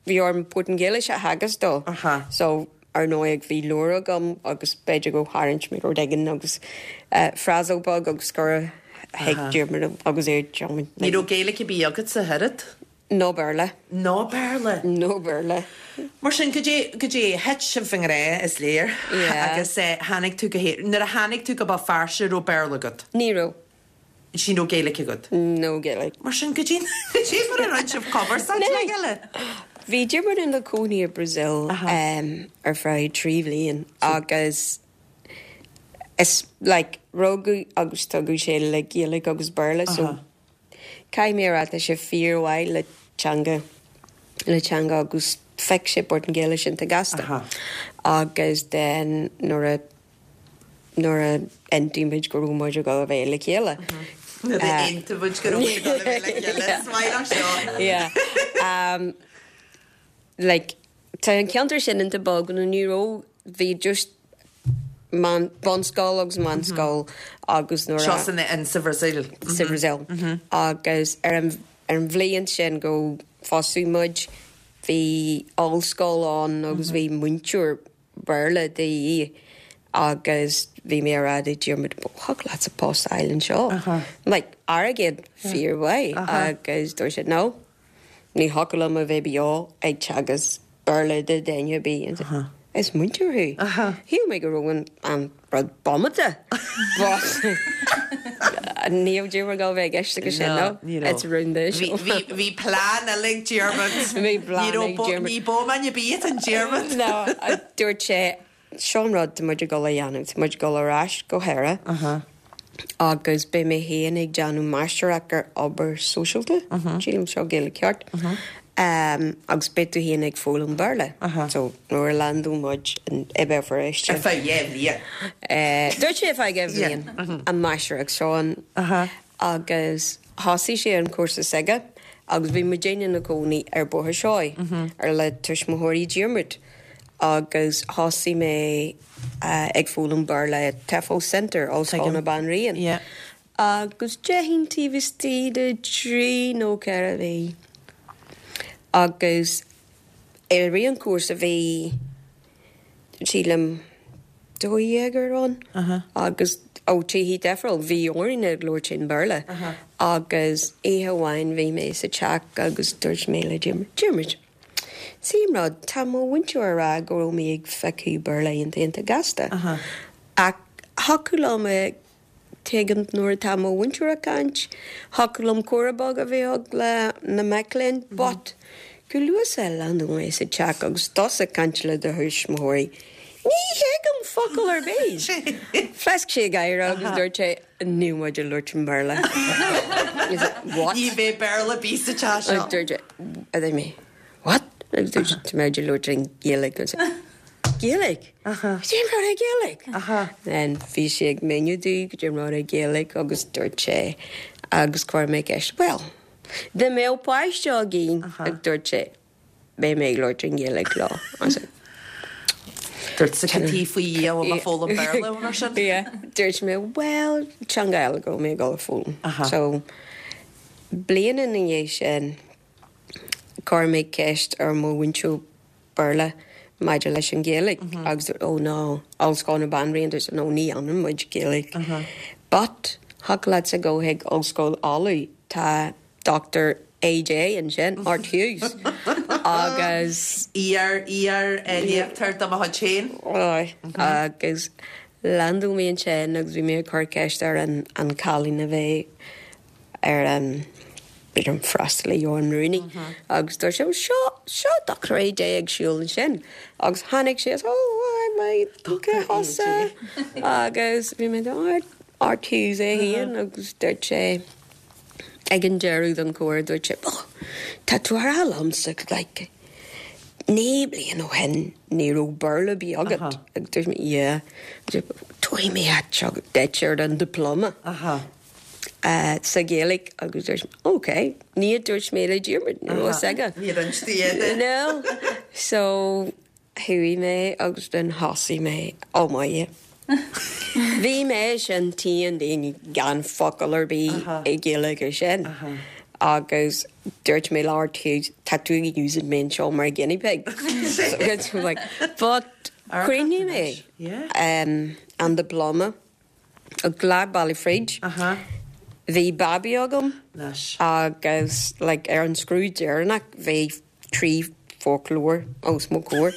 bhí orm Portaingéilis a theagasc dó. So ar ndóigh bhí leabhar agam agus b'fhéidir go tharraingt mé rud éigin agus frásal beag agus gur thuig Diarmuid agus é Ní raibh Gaeilge ar bith agatsa ach oiread? No Béarla. No Béarla. No Béarla. Mar sin, go dtí, go dtí, thit sibh i ngrá, is léir. Yeah. Agus tháinig tú go hÉirinn. Nuair a tháinig tú go Béal Feirste, raibh Béarla agat? Ní raibh. Ní raibh Gaeilge agat? No Gaeilge. Mar sin, go dtí, go dtí mar a rinne sibh cumarsáid le chéile? Bhí Diarmuid ina chónaí i Brazil ar feadh 3 bhliain agus is like rugadh agus tógadh sé le Gaeilge agus Béarla so Caithfidh mé a rá tá sé fíormhaith le teanga, le teanga agus phioc sé Portaingéilis iontach gasta. Agus then nuair a, nuair a aontaigh muid go raibh muid ag dul a bheith le chéile. Nuair a aontaigh muid go raibh muid ag dul a bheith le chéile, is maith liom seo. Yeah. Like, tá an ceantar sin iontach beag nó ní raibh, bhí just meán, bunscoil agus meánscoil agus nuair a. Seo san, in, sa Bhrasaíl. Sa Bhrasaíl. Agus ar an, ar an bhliain sin go phósadh muid, bhí ollscoil ann agus bhí múinteoir Béarla de dhíth agus bhí mé ag rá do Diarmuid, thiocfadh leatsa post a fháil anseo. Like, airgead fíormhaith agus dúirt sé, no. Ní thiocfadh liom a bheith beo ag teagasc Béarla do dhuine ar bith. Is múinteoir thú. Shíl mé go raibh an rud bomaite but ní raibh Diarmuid ag dul a bheith i gceist aige sin, no. It's rún duit. Bhí plean eile ag Diarmuid. Bhí plean ag Diarmuid. Ní bómán ar bith an Diarmuid. No, dúirt sé, Seo an rud tá muid ag dul a dhéanamh, tá muid ag dul ar ais go hÉire agus beidh mé féin ag déanamh máistreacht ar obair sóisialta, sílim seo Gaeilge ceart, agus beidh tú féin ag foghlaim Béarla. So nuair a landóidh muid i Béal Feirste. Ar feadh 2 bhliain. Dúirt sé ar feadh 2 bhliain, an máistreacht seo an. Agus thosaigh sé an cúrsa s'aige agus bhí muidinne ina cónaí ar Bóthar Seoighe ar le tuismitheoirí Diarmuid agus thosaigh mé ag foghlaim Béarla i TEFL Centre, Ollscoil na Banríon. Agus déarfainn taobh istigh de trí nó ceithre mhí agus i rith an chúrsa bhí sílim 12 ann agus ó tithe difriúil bhí orainn ag labhairt in Béarla agus oíche amháin bhí mé sa teach agus dúirt mé le Diarmuid, Diarmuid, see an rud, tá mo mhúinteoir ag rá go raibh mé ag piocadh Béarla iontach iontach gasta ach thiocfadh liom a Tuigim nuair atá mo mhúinteoir ag caint, thiocfadh liom comhrá beag a bheith ag le na mic léinn, but chomh luath is a landóidh mé sa teach agus tusa ag caint le do thuismitheoirí, ní thuigim focal ar bith! Phléasc sé ag gáire agus dúirt sé, níl muid ag labhairt i mBéarla. What? Ní bheidh Béarla ar bith sa teach seo. Dúirt sé, a dúirt mé, what? Agus dúirt sé, tá muid ag labhairt i nGaeilge. Gaeilge? Cad é mar é Gaeilge? Then bhí sé ag míniú domh cad é mar é Gaeilge agus dúirt sé agus chuir mé ceist, well, dá mbeadh páiste againn, agus dúirt sé, beidh mé ag labhairt i nGaeilge leo. I said, Dúirt sé cad é faoi Dhia bhfuil mé foghlaim Béarla mar sin? Yeah. Dúirt mé, well, teanga eile go raibh mé ag dul a foghlaim. So, bliain ina dhiaidh sin, chuir mé ceist ar mo mhúinteoir Béarla maidir leis an Ghaeilge agus dúirt oh no, Ollscoil na Banríon, dúirt no ní dhéanann muid Gaeilge. But thiocfadh leatsa go chuig Ollscoil Uladh, tá Dr AJ ansin, Art Hughes, agus. Iar, iar, léachtóir de mo chuid féin. Aye, agus landáil mé ansin agus bhí mé ag cur ceist ar an an cailín a bhí ar an b'fhéidir an freastalaí nó an rúnaí agus dúirt sé, seo, seo Dr AJ ag siúl ansin agus tháinig sé oh hi mate, cé thusa? Agus bhí mé Art, Art Hughes é féin agus dúirt sé ag an deireadh den chomhrá dúirt sé, oh tá tú a rá liomsa like 9 bliain ó shin ní raibh Béarla ar bith agat agus dúirt mé yeah, tabharfaidh mé duit ar an diploma. sa Ghaeilge agus dúirt mé, ok, ní a dúirt mé le Diarmuid, ní raibh fhios aige. Níor inis tú é No. So, Chuaigh mé agus then thosaigh mé, oh my. Bhí mé sin t-aon duine gan focal ar bith i Gaeilge sin. Agus dúirt mé labhair tú, tá tú ag úsáid mé anseo mar guinea pig. So like, but chríochnaigh mé an diploma. Ghlac baile fríd. Bhí babaí agam agus like ar an scrúdú deireanach bhí 3 foclóir os mo chomhair.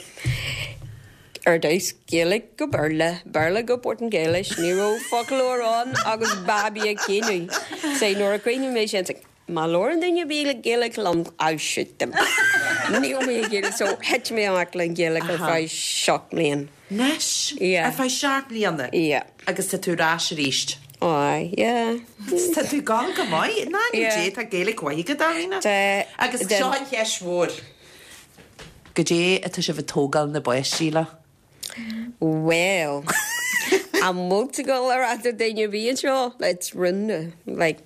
Ar dtús Gaeilge go Béarla, Béarla go Portaingéilis, ní raibh foclóir ann agus babaí ag caoineadh. So nuair a chríochnaigh mé sin, Má labhrann duine ar bith Gaeilge liom, I'll shoot them. Níl mé ag iarraidh, so thit mé amach le an Ghaeilge ar feadh 7 mblian. Anois? Yeah. Ar feadh 7 mbliana? Yeah. Agus tá tú ar ais arís? Aye, yeah. Tá tú ag gabháil go maith. In ainm Dé, tá Gaeilge mhaith agat, Alvina. Tá. Agus seo an cheist mhór. Goidé atá sibh ag tógáil na bpáistí le? Bhuel, an bhfuil tú ag dul a rá do duine ar bith anseo? It's rún, like,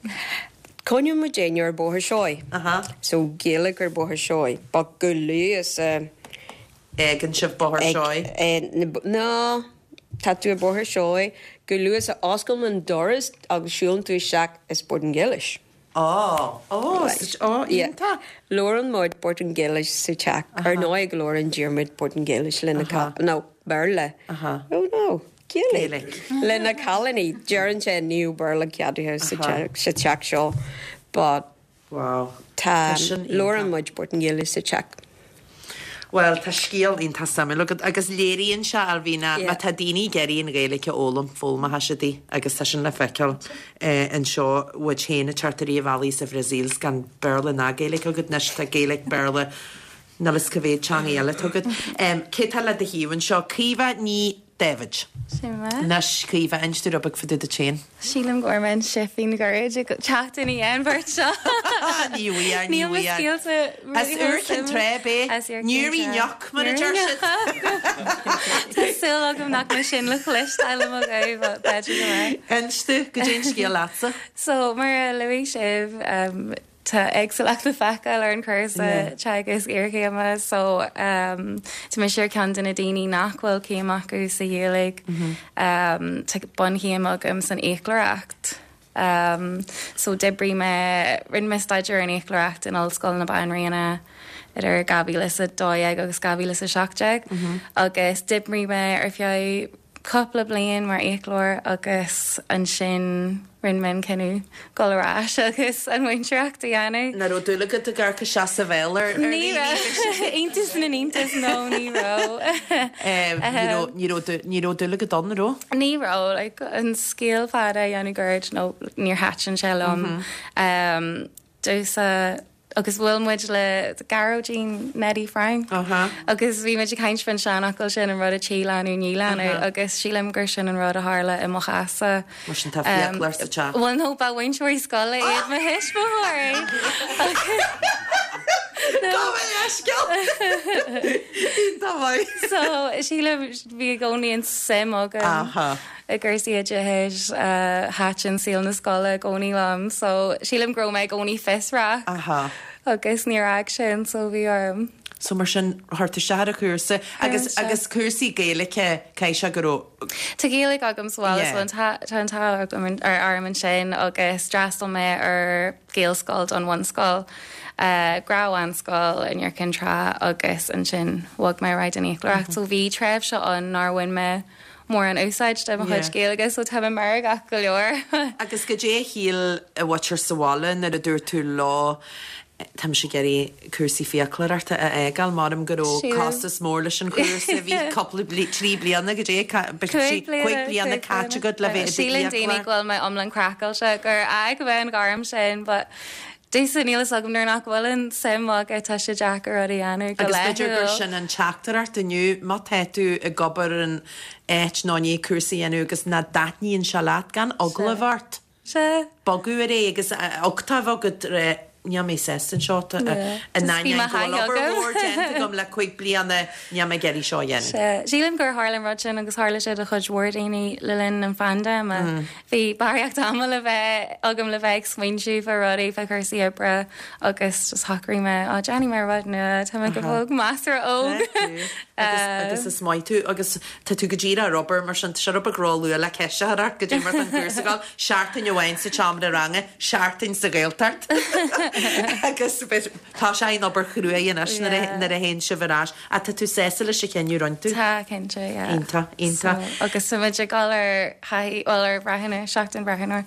coinneoidh muid éinne ar Bóthar Seoighe. So, Gaeilge ar Bóthar Seoighe, but go luath is a. Fhágann sibh Bóthar Seoighe? No, tá tú ar Bóthar Seoighe, go luath is a osclaím an doras agus siúlann tú isteach is Portaingéilis. Ó, ó, ó, iontach. Labhrann muid Portaingéilis sa teach. Ar ndóigh go labhrann Diarmuid Portaingéilis le na, no, Béarla. Oh no, Gaeilge. Le na cailíní. Deireann sé níl Béarla ceadaithe sa teach seo but tá, labhrann muid Portaingéilis sa teach. Bhuel, tá scéal iontach suimiúil agat agus léiríonn sé, Alvina, má tá daoine ag iarraidh an Ghaeilge a fhoghlaim, foghlaimeoidh siad í agus tá sin le feiceáil anseo uait féin ag teacht ar an bhealaigh sa Bhrasaíl 's gan Béarla ná Gaeilge agat anois, tá Gaeilge, Béarla, níl fhios cá mhéad teangaí eile atá agat. Cé tá le do thaobh anseo? Caoimhe Ní. Daibhéid. Sin mé. Anois, Caoimhe, inis dúinn rud beag fá dtaobh duit féin. Sílim go bhfuair mé an sifín ghairid ag teacht ina dhiaidh an bheirt seo. Ní bhfuair, ní Níl mo bhfuair. scéalta As Iúr Cinn Trá ab é. As Iúr Cinn Níor Trá. ioc, mar a deir siad. Tá súil agam nach mbeidh sin le cloisteáil i mo ghuth, but b'fhéidir go mbeidh. Inis dúinn, goidé an scéal leatsa. So, mar a luaigh sibh, Tá éagsúlacht le feiceáil ar an chúrsa teagasc iarchéime so tá mise ar ceann de na daoine nach bhfuil céim acu sa Ghaeilge. Tá bunchéim agam san fhiaclóireacht. So d'oibrigh mé, rinne mé staidéar ar an fhiaclóireacht in Ollscoil na Banríona idir 2012 agus 2017 agus d'oibrigh mé ar feadh cúpla bliain mar fhiaclóir agus ansin rinne mé an cinneadh dul ar ais agus an mhúinteoireacht a dhéanamh. Nach raibh dúil agat ag amharc isteach sa bhéal ar Ní raibh. Iontas na n-iontas, no, ní raibh. Ní raibh, ní raibh dúil agat ann, an raibh? Ní raibh, like, an scéal fada a dhéanamh gairid, no, níor thaitin sé liom. Domhsa, agus bhuail muid le Gearóidín Neidí Frainc agus bhí muid ag caint faoin seanfhocal sin, an rud a tchí leanbh ní leanbh, agus sílim gur sin an rud a tharla i mo chás-sa. Mar sin tá fiaclóir sa teach. Bhuel no, ba mhúinteoirí scoile iad mo thuismitheoirí. Gabh mo leithscéal! Iontach maith. So sílim bhí i gcónaí an suim agam. i gcúrsaí oideachais, thaitin saol na scoile i gcónaí liom so sílim go raibh mé i gcónaí fiosrach agus níor fhág sin so bhí orm. So mar sin, chuir tú isteach ar an chúrsa agus agus cúrsaí Gaeilge, caithfidh sé go raibh. Tá Gaeilge agam sa bhaile so tá an t-ádh orm ansin agus d'fhreastail mé ar Ghaelscoil don bhunscoil, gnáthbhunscoil in Iúr Cinn Trá agus ansin bhog mé ar aghaidh don fhiaclóireacht so bhí tréimhse ann nár bhain mé mórán úsáid de mo chuid Gaeilge so tá mé meirgeach go leor. Agus goidé a shíl an mhuintir sa bhaile nuair a dúirt tú leo tá mise ag iarraidh cúrsaí fiaclóireachta a fhágáil, measaim go raibh costas mór leis an chúrsa, bhí cúpla trí bliana goidé, cúig bliana caite agat le bheith i do Síleann daoine go bhfuil mé iomlán craiceáilte gur fhág mé an ghairm sin but Domhsa, níl fhios agam nuair nach bhfuil an suim agat tá sé deacair rud a dhéanamh go Agus b'fhéidir gur laethúil. sin an teachtaireacht inniu, má tá tú ag obair in áit nó i ndiaidh cúrsa a dhéanamh agus nach dtaitníonn sé leat, gan eagla a bheith ort. Sea. Bogadh ar aghaidh agus uchtach a bheith agat. Níl mé sásta anseo, in ainneoin go bhfuil obair mhór déanta agam le 5 bliana, níl mé ag iarraidh seo a dhéanamh. Sea, sílim gur tharla an rud sin agus tharla sé do chuid mhór daoine le linn an phaindéime. Bhí barraíocht ama le bheith agam le bheith ag smaointiú fá rudaí, fá chúrsaí oibre agus just shocraigh mé, á, déanfaidh mé rud nua, tá mé go fóill measartha óg. Agus is maith tú agus tá tú go díreach ar obair mar sin, tá sé rud beag ró-luath le ceist a chur ort goidé mar atá an cúrsa ag dul. Seachtain amháin sa tseomra ranga, seachtain sa Ghaeltacht agus tá sé in obair chruaidh anois nuair a théann sibh ar ais. Ach tá tú sásta leis an chinneadh a rinne tú? Tá, cinnte, yeah. Iontach, iontach. So, agus tá muid ag dul ar thaithí, bhuel ar bhreathnóir, seachtain breathnóir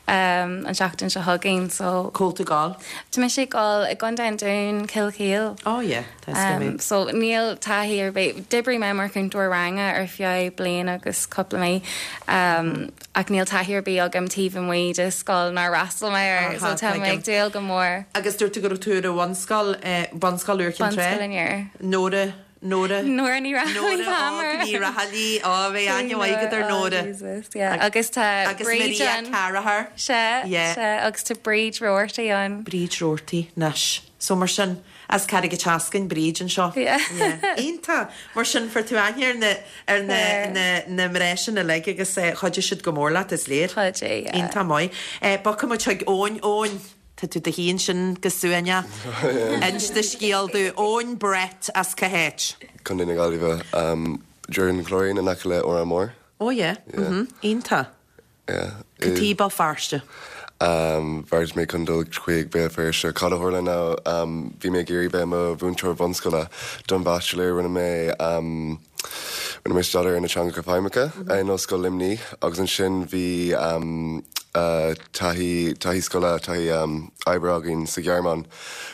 an tseachtain seo chugainn, so. Cá bhfuil tú ag dul? Tá mise ag dul i gContae an Dúin, Cill Chaoil. Oh yeah, tá 'fhios agam é. So níl taithí ar bith, d'oibrigh mé mar chúntóir ranga ar feadh bliain agus cúpla mí. Ach níl taithí ar bith agam taobh amuigh de scoil nár fhreastail mé air, so tá mé ag dúil go mór. Agus dúirt tú go raibh tú ar an bhunscoil, Bunscoil Iúr Cinn Trá? Bunscoil an Iúir. Nóra, Nóra. Nóra Ní Raghallaigh Nóra óg Ní Raghallaigh, ó bheadh aithne mhaith agat ar Nóra. Oh Jesus, yeah. Agus tá Agus Bríd Maria ann. Carragher. Sea, Yeah. sea, agus tá Bríd Roarty ann. Bríd Roarty, anois. So mar sin, as Carraig an tSeascainn, Bríd anseo. Yeah. Iontach! Mar sin, fuair tú aithne ar na, ar na, na, na mná sin uilig agus eh, chuidigh siad go mór leat, is léir. Chuidigh, yeah. Iontach maith. Eh, bogfaidh muid chuig Eoin. Eoin, tá tú i do shuí ansin go suaimhneach. Inis do scéal dúinn. Eoin Brett as cá háit? Contae na Gaillimhe. Um, Droichead an Chláirín in aice le Órán Mór. Oh yeah, mhm, iontach. Yeah. Cad chuige Béal Feirste? Bheartaigh mé chun dul chuig Béal Feirste. Cad a tharla ná bhí mé ag iarraidh bheith i mo mhúinteoir bhunscoile don bhaitsiléir. Rinne mé rinne mé staidéar ar na teangacha feidhmeacha in Ollscoil Luimnigh agus ansin bhí taithí taithí scoile, taithí oibre againn sa Ghearmáin.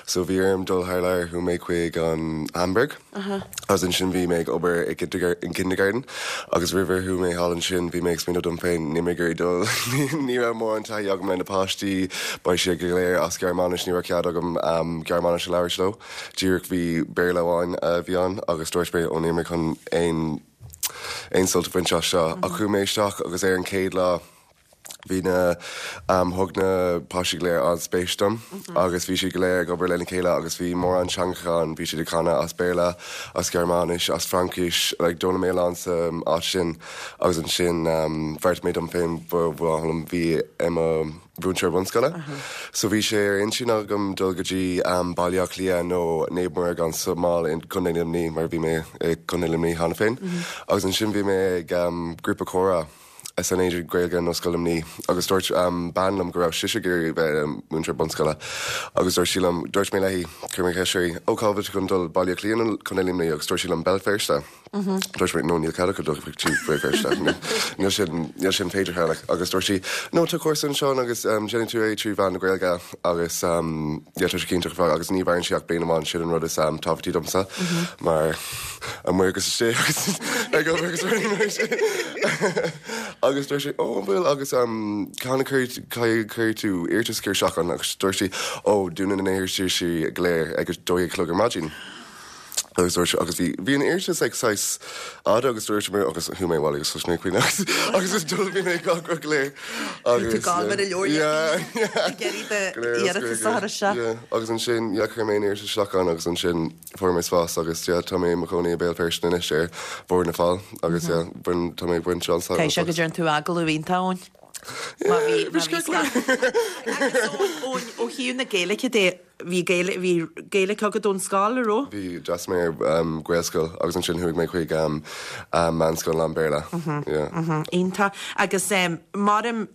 So bhí orm dul thar lear, chuaigh mé chuig an Hamburg. Agus ansin bhí mé ag obair i kindergarten agus roimh ar chuaigh mé thall ansin bhí mé ag smaoineamh dom féin níl mé ag iarraidh dul ní raibh mórán taithí agam le na páistí beidh siad go léir as Gearmáinis ní raibh cead agam Gearmáinis a labhairt leo díreach bhí Béarla amháin a bhí ann agus dúirt mé ó níl mé chun aon aon sult a bhaint as seo ach chuaigh mé isteach agus ar an chéad lá Bhí na, thug na páistí go léir an-spéis dom agus bhí siad go léir ag obair lena chéile agus bhí mórán teangacha ann, bhí siad ag canadh as Béarla, as Gearmáinis, as Fraincis, like d'fhoghlaim mé a lán sa áit sin agus ansin bheartaigh mé dom féin ba mhaith liom bheith i mo mhúinteoir bunscoile. So bhí sé ar intinn agam dul go dtí Baile Átha Cliath nó Naomh Muire gan Smál i gContae Luimnigh mar bhí mé i gContae Luimnigh cheana féin agus ansin bhí mé ag grúpa comhrá. san Aonad Gaeilge in Ollscoil Luimnigh agus dúirt bean liom go raibh sise ag iarraidh bheith ina múinteoir bunscoile agus dúirt sí liom, dúirt mé léi, chuir mé ceist uirthi, ó cá bhfuil tú chun dul, Baile Átha Cliath nó Contae Luimnigh agus dúirt sí liom Béal Feirste. Dúirt mé, no níl cead acu dul chuig Béal Feirste, níl sin, níl sin féideartha like agus dúirt sí, no tá cúrsa anseo agus déanann tú é trí mheán na Gaeilge agus yeah tá sé cinnte agus ní mhaireann sé ach bliain amháin, sin an rud is tábhachtaí domsa mar amuigh agus istigh agus ag obair agus rudaí mar sin. Agus dúirt sé, ó an bhfuil agus cathain a chuirfidh tú iarratas isteach ann agus dúirt sí, ó dúnann na hiarrataisí go léir ag a 12 a chlog ar maidin. Agus dúirt agus bhí bhí an iarratas ag saghas fhada agus dúirt mé agus chuaigh mé abhaile agus thosaigh mé ag caoineadh agus agus is dul bhí mé ag gach rud go léir agus Bhí tú ag gabháil mar a leabhar yeah ag iarraidh do iarratas a chur isteach. Yeah agus ansin yeah chuir mé an iarratas isteach ann agus ansin Fuair mé spás agus yeah tá mé i mo chónaí i Béal Feirste anois ar Bhóthar na Fál agus yeah bain tá mé ag baint an-sult Caithfidh sé go dtearn tú agallamh iontach Eoin. Má bhí má bhí Agus Eoin Eoin ó thaobh na Gaeilge de bhí Gaeilge bhí Gaeilge agat ón scoil an raibh? Bhí d'fhreastail mé ar um Gaelscoil agus ansin chuaigh mé chuig um um meánscoil lán-Bhéarla. Yeah. Iontach. Agus um maram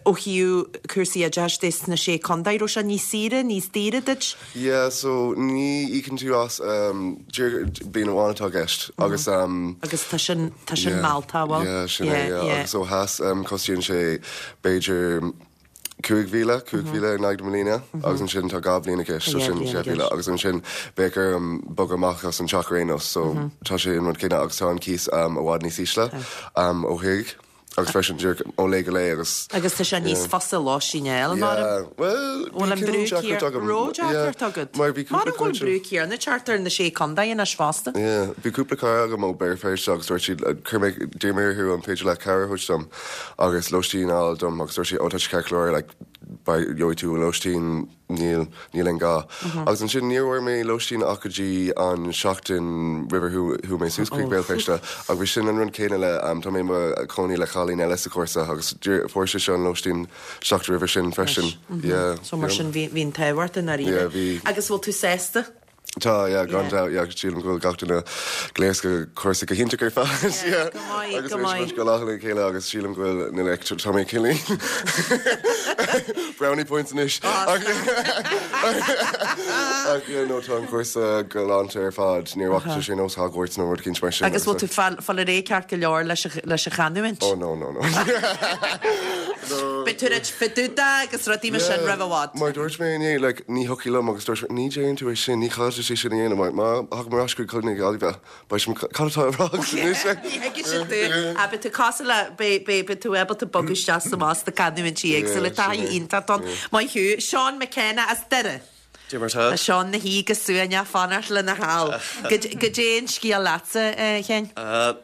ó thaobh cúrsaí oideachais de sna Sé Contae, raibh sé níos saoire, níos daoire duit? Yeah, so ní íocann tú as um, bliain amháin atá i gceist agus um, Agus tá sin, tá sin yeah, mealltach, bhfuil? Yeah, sin é, yeah. yeah. Agus ó theas um, cosnaíonn sé b'fhéidir 5,000, 5,000 in aghaidh na mbliana agus ansin tá 2 bhliain i gceist, so sin 6,000 agus ansin bheadh orm bogadh amach as an teach ar aon nós, so tá sé an rud céanna agus tá an cíos um, i bhfad níos ísle um, ó thuaidh. Agus freisin díreach ó lae go lae agus. Agus tá sé níos fusa lóistín a fháil, mar. Yeah, bhuel, bhfuil an brú céanna, raibh deacracht agat? Mar bhí cúpla Mar go bhfuil an brú céanna ag teacht ar na Sé Contae anois fosta. Yeah, bhí cúpla cara agam ó Béal Feirste agus dúirt siad, chuir mé, d'iarr mé orthu an féidir leat cabhair a thabhairt dom agus lóistín a fháil dom agus dúirt siad, oh tá sé ceart go leor, like. gheobhaidh tú lóistín, níl, níl aon ghá. Agus ansin níor bhfuair mé lóistín ach go dtí an seachtain roimh ar chuaigh mé suas chuig Béal Feirste ach bhí sin an rud céanna le, tá mé i mo chónaí le cailín eile sa chúrsa agus fuair sise an lóistín seachtain roimhe sin freisin. Yeah. So mar sin bhí an t-ádh ort i ndáiríre. Yeah, bhí. Agus bhfuil tú sásta? Tá, yeah, gan dabht, yeah, sílim go bhfuil gach duine gléasta cúrsa go hiontach ar fad, yeah. Go maith, Agus go tar éis maith. muid go lá le chéile agus sílim go bhfuil na like, tá mé cineál brownie points anois. Ach ach yeah, no, tá an cúrsa galánta ar fad, níor bhfaca sé nós Hogwarts nó rud eicínt mar sin. Agus bhfuil tú fáil fáil ar aghaidh ceart go leor leis an leis an chanúint? Oh no, no, no. Beidh tú ag ráit fá dtaobh de agus rudaí mar sin roimh i bhfad. Mar dúirt mé inné, like, ní thiocfaidh liom agus dúirt mé, ní déanann tú é sin, ní chaithfidh sé sin a dhéanamh, mar má thagaim ar ais chuig Contae na Gaillimhe, beidh sé, cad atá á rá agat anois? Ní thuigfidh siad tú. Ah, beidh tú cosúil le, beidh, beidh, beidh tú ábalta bogadh isteach is amach sna canúintí éagsúla. Yeah, sin Taithí é. iontach ann. Maith thú. Seán McKenna as Doire. Dé mar tá. Tá Seán 'na shuí go suaimhneach fanacht lena sheal. Goidé an scéal leatsa, a Sheáin?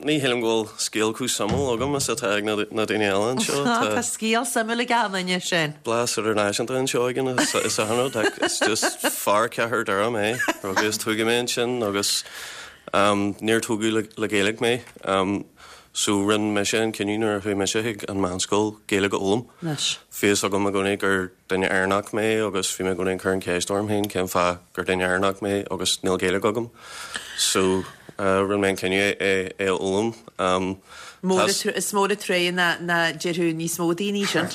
Ní shílim go bhfuil scéal chomh suimiúil agam is atá ag na daoine eile anseo. Tá scéal suimiúil ag achan duine, Seán. Blas idirnáisiúnta anseo againn is achan rud. Is just fear Chathair Doire mé. Rugadh is tógadh mé ansin agus níor tógadh le Gaeilge mé. So rinne mise an cinneadh nuair a chuaigh mise chuig an meánscoil Gaeilge a fhoghlaim. Bhí fhios agam i gcónaí gur duine Éireannach mé agus bhí mé i gcónaí ag cur an cheist orm féin cén fáth gur duine Éireannach mé agus níl Gaeilge agam. So rinne mé an cinneadh é a fhoghlaim. Is mór an truaighe nach déarfadh níos mó daoine sin.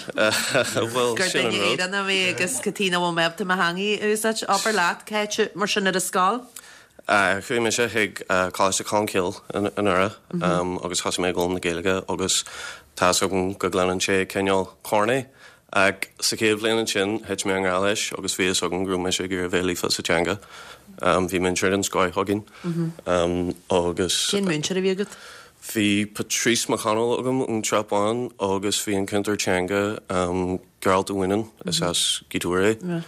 Bhuel, Gur sin an duine rud. Éireannach mé agus cad chuige nach bhfuil mé ábalta mo theanga a úsáid. Abair leat, cá háit mar sin ar an scoil? Chuaigh mise chuig Coláiste Cholmcille i nDoire agus thosaigh mé ag foghlaim na Gaeilge agus tá fhios agam go gcluineann sé cineál corny ach sa chéad bhliain ansin thit mé i ngrá leis agus bhí fhios agam go raibh mise ag iarraidh bheith líofa sa teanga. Bhí múinteoir den scoith againn agus. Cén múinteoir a bhí agat? Bhí Patrice McConnell agam ón tSrath Bán agus bhí an cúntóir teanga Gearailt Ó Mhaonaigh, is as Gaoth Dobhair é.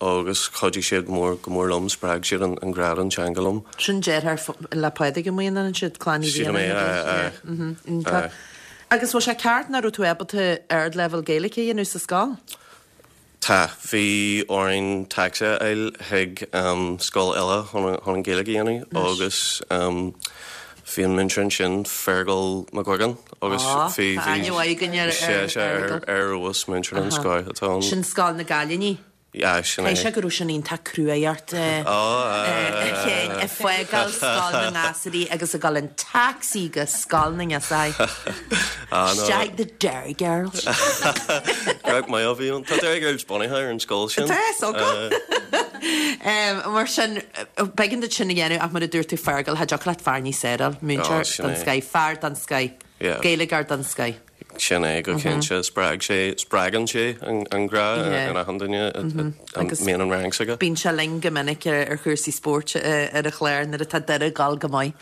Agus chuidigh siad mór go mór liom, spreag siad an grá don teanga liom. Sin deartháir le Pádraig Ó Maonaigh ansiúd, Clann Uí Sílim é, Mhaonaigh. aye, aye. Agus bhfuil sé ceart nach raibh tú ábalta ardleibhéal Gaeilge a dhéanamh sa scoil? Tá. Bhí orainn tacsaí a fháil chuig scoil eile chun an Ghaeilge a dhéanamh agus bhí an múinteoir ansin, Feargal Mac Uigeann, agus bhí, Tá aithne mhaith againn ar sé, sé, Fheargal. ar fheabhas, múinteoir den scoth atá ann. Sin Scoil na gCailíní. Yeah, sin é. Caithfidh sé go raibh sin iontach cruaidh ort, a Sheáin, ag fágáil Scoil na nGasúraí agus ag dul in taxi go Scoil na nGirseachaí. Isteach the Derry Girls. Craic maith a bhí ann. Tá Derry Girls bunaithe ar an scoil sin. Tá, is dócha. Mar sin, b'éigean duit sin a dhéanamh ach mar a dúirt tú Fergal, cha dtiocfadh leat fear níos fearr a fháil, múinteoir den scoith, fear den scoith, Gaeilgeoir den scoith. Sin é go cinnte. Spreag sé, spreagann sé an grá in achan duine a mbíonn an rang s'aige. Bíonn sé linn go minic ar chúrsaí spóirt ar an chlár nuair atá Doire ag dul go maith.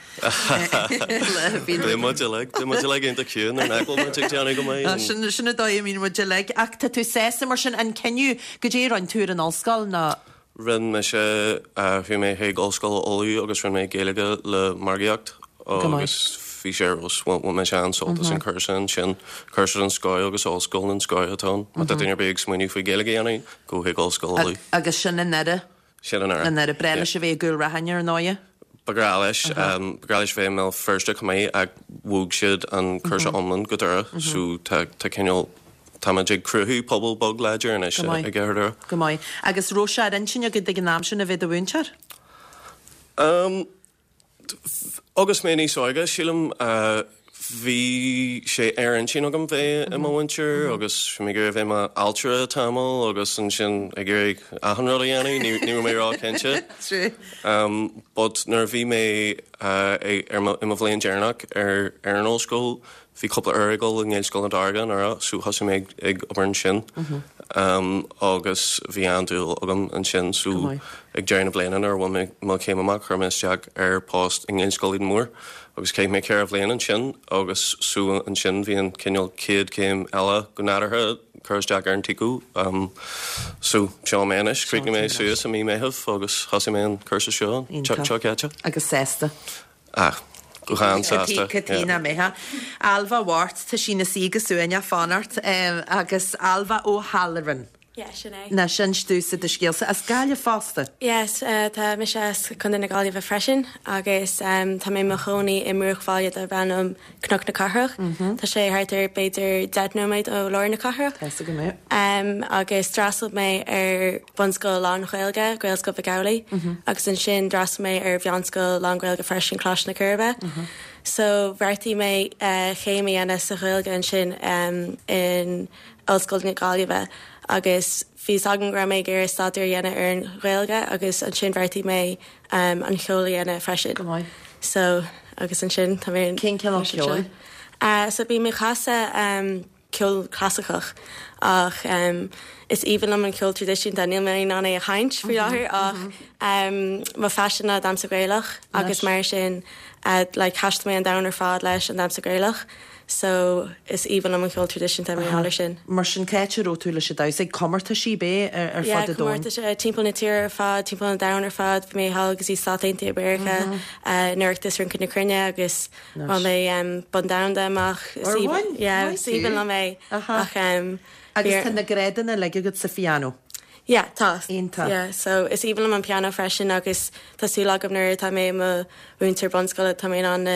Bíonn muid uilig, bíonn muid uilig iontach ciúin nuair nach bhfuil muid ag déanamh go maith. Sin, sin an dóigh a mbíonn muid uilig. Ach tá tú sásta mar sin an cinneadh goidé a rinne tú ar an ollscoil nó. Rinne mise, chuaigh mé chuig Ollscoil Uladh agus rinne mé Gaeilge le Margaíocht agus bhí sé ar fheabhas, bhain mise an-sult as an cúrsa ansin, cúrsa den scoth agus ollscoil den scoth atá ann. Má tá duine ar bith ag smaoineamh faoi Gaeilge a dhéanamh, gabh chuig Ollscoil Uladh. Agus sin i nDoire. Sin i nDoire. I nDoire. B'bhreá leis a bheith i gCúil Raithin ar ndóighe. Ba ghrá leis, ba ghrá leis bheith i mBéal Feirste chomh maith ach bhog siad an cúrsa iomlán go Doire so tá tá cineál, táimid ag cruthú pobal beag láidir anois i gCathair Dhoire. Go maith. Agus raibh sé ar intinn agat ag an am sin a bheith i do mhúinteoir? Agus mé níos óige, sílim, bhí sé ar intinn agam bheith i mo mhúinteoir agus bhí mé ag iarraidh bheith i m'ailtire tamall agus ansin ag iarraidh achan rud a dhéanamh, ní raibh mé ró-chinnte. But nuair a bhí mé i mo bhliain deireanach ar an ollscoil, Bhí cúpla uair ag dul i nGaelscoil na Dairge i nDoire so thosaigh mé ag obair ansin agus bhí an-dúil agam ansin so ag deireadh na bliana nuair a bhain mé mo chéim amach chuir mé isteach ar post i nGaelscoil Éadan Mór agus chaith mé 4 bhliain ansin agus so ansin bhí an cineál chéad chéim eile go nádúrtha cur isteach ar an TCO so seo mé anois, chríochnaigh mé suas i mí Meitheamh agus thosaigh mé an cúrsa seo seo caite. Agus sásta? Ah. Go han-sásta. Cad chuige nach mbeifeá. Ailbhe Mhart, tá sí ina suí go suaimhneach fanacht agus Ailbhe O'Halloran. Yeah, sin é. Anois inis domhsa do scéalsa. As Gaillimh fosta? Yes, tá mise as Contae na Gaillimhe freisin agus tá mé i mo chónaí i mbruachbhaile darb ainm Cnoc na Cathrach. Tá sé thart ar b'fhéidir 10 nóiméad ó lár na cathrach. Tá 'fhios agam é. Agus d'fhreastail mé ar bhunscoil lán-Ghaeilge, Gaelscoil Mhic Amhlaigh, agus ansin d'fhreastail mé ar mheánscoil lán-Ghaeilge freisin, Coláiste na Coiribe. So bheartaigh mé céim a dhéanamh sa Ghaeilge ansin in Ollscoil na Gaillimhe agus bhí 'fhios agam go raibh mé ag iarraidh staidéar a dhéanamh ar an Ghaeilge agus ansin bheartaigh mé an cheol a dhéanamh freisin. Go maith. So agus ansin tá mé Cén cineál ceoil? So bím ag casadh ceol clasaiceach ach is aoibhinn liom an ceol traidisiúnta, níl mé in ann é a sheinnt faoi láthair ach mo phaisean ná damhsa Gaelach agus mar sin like thaistil mé an domhan ar fad leis an damhsa Gaelach. So, is aoibhinn liom an ceol traidisiúnta mar gheall ar sin. Mar sin, cá háit a raibh tú leis an damhsa? Ag comórtaisí, ab ea, ar Yeah, fud an domhain? comórtais timpeall na tíre ar fad, timpeall an domhain ar fad. Bhí mé thall go dtí Stáit Aontaithe Mheiriceá, in Oireachtas Rince na Cruinne agus Anois. bhain mé bonn domhanda amach. Is Ar aoibhinn, bhain? yeah, Maith is aoibhinn thú. liom é. Aha. Ach bhí Agus ar. tá na grádanna uilig agat sa phianó? Yeah, tá. Iontach. Yeah, so is aoibhinn liom an pianó freisin agus tá súil agam nuair atá mé i mo mhúinteoir bunscoile tá mé in ann na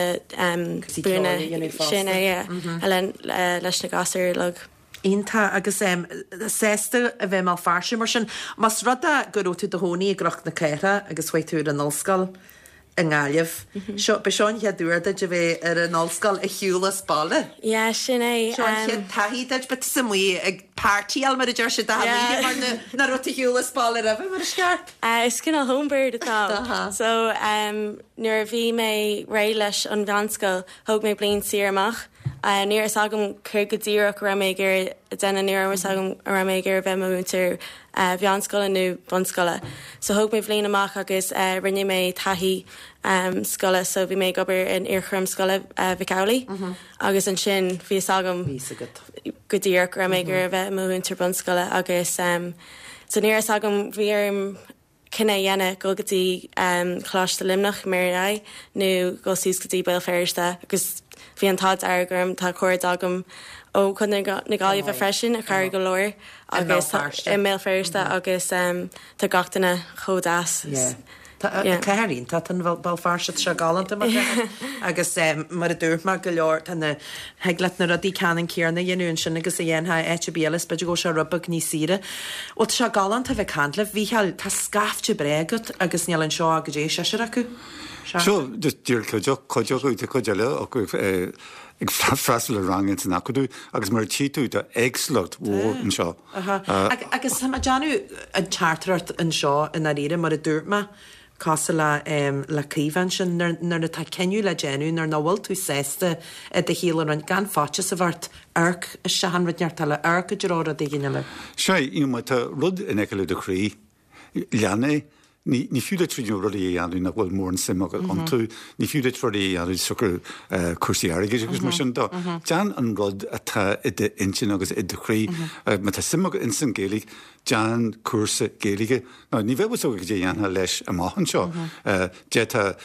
Cúrsaí ceoil buanna a dhéanamh fosta. sin é, yeah, a leis na gasúir uilig. Iontach agus sásta a bheith i mBéal Feirste mar sin. Más rud é go raibh tú i do chónaí i gCnoc na Cathrach agus chuaigh tú ar an ollscoil i nGaillimh, seo, b'é seo an chéad uair duit a bheith ar an ollscoil ar shiúl as baile. Yeah, sin é. Seo an chéad taithí duit, beidh tusa amuigh ag partyáil mar a deir siad achan oíche mar nach raibh tú ar shiúl as baile roimhe mar is ceart. Is cineál homebird atá ann. So nuair a bhí mé réidh leis an mheánscoil, thóg mé bliain saor amach. Ní raibh fhios agam céard go díreach a raibh mé ag iarraidh a déanamh, ní raibh fhios agam an raibh mé ag iarraidh bheith i mo mhúinteoir mheánscoile nó bunscoile. So thóg mé bhliain amach agus rinne mé taithí scoile, so bhí mé ag obair in iarchúram scoile Mhic Amhlaigh agus ansin bhí fhios agam go díreach go raibh mé ag iarraidh bheith i mo mhúinteoir bunscoile agus So ní raibh fhios agam, bhí orm cinneadh a dhéanamh, dul go dtí Coláiste Luimneach, Mary I, nó dul suas go dtí Béal Feirste agus bhí an t-ádh dearg orm, tá cairde agam ó Chontae na Gaillimhe freisin a chabhraigh go leor agus i mBéal Feirste agus tá gach duine chomh deas. Yeah. Tá cathair iontach an Béal Feirste, tá sé galánta mar chathair agus mar a dúirt mé go leor tá na, thig leat na rudaí ceannann céanna a dhéanamh ansin agus a dhéanfá áit ar bith eile is b'fhéidir go bhfuil sé rud beag níos saoire. Bhuel tá sé galánta a bheith ag caint libh. Mhícheáil, tá scaifte breá agat agus níl anseo ach go dté seisear acu. Seo just díreach cuid, cuid acu, tá cuid eile acu ag freastal ar rang ins an acadamh agus mar a tchí tú tá éagsúlacht mhór anseo. Agus tá mé ag déanamh an teachtaireacht anseo i ndáiríre, mar a dúirt mé, cosúil le le Caoimhe ansin, nuair atá cinneadh le déanamh, nuair nach bhfuil tú sásta i do shaol a roinnt, gan faitíos a bheith ort, amharc isteach in rud inteacht eile, amharc i dtreo rud éigin eile. Sea, you know, má tá rud in aice le do chroí, lean é. Ní, ní fiú duit you know, rudaí a dhéanamh nach bhfuil mórán suim agat iontu, ní fiú duit rudaí a dhéanamh siocair cúrsaí airgid agus mar sin de. Déan an rud atá i d'intinn agus i do chroí. Má tá suim agat ins an Ghaeilge, déan cúrsa Gaeilge. Now, ní bheadh fhios agat cad é a dhéanfá leis amach anseo. D'fhéadfá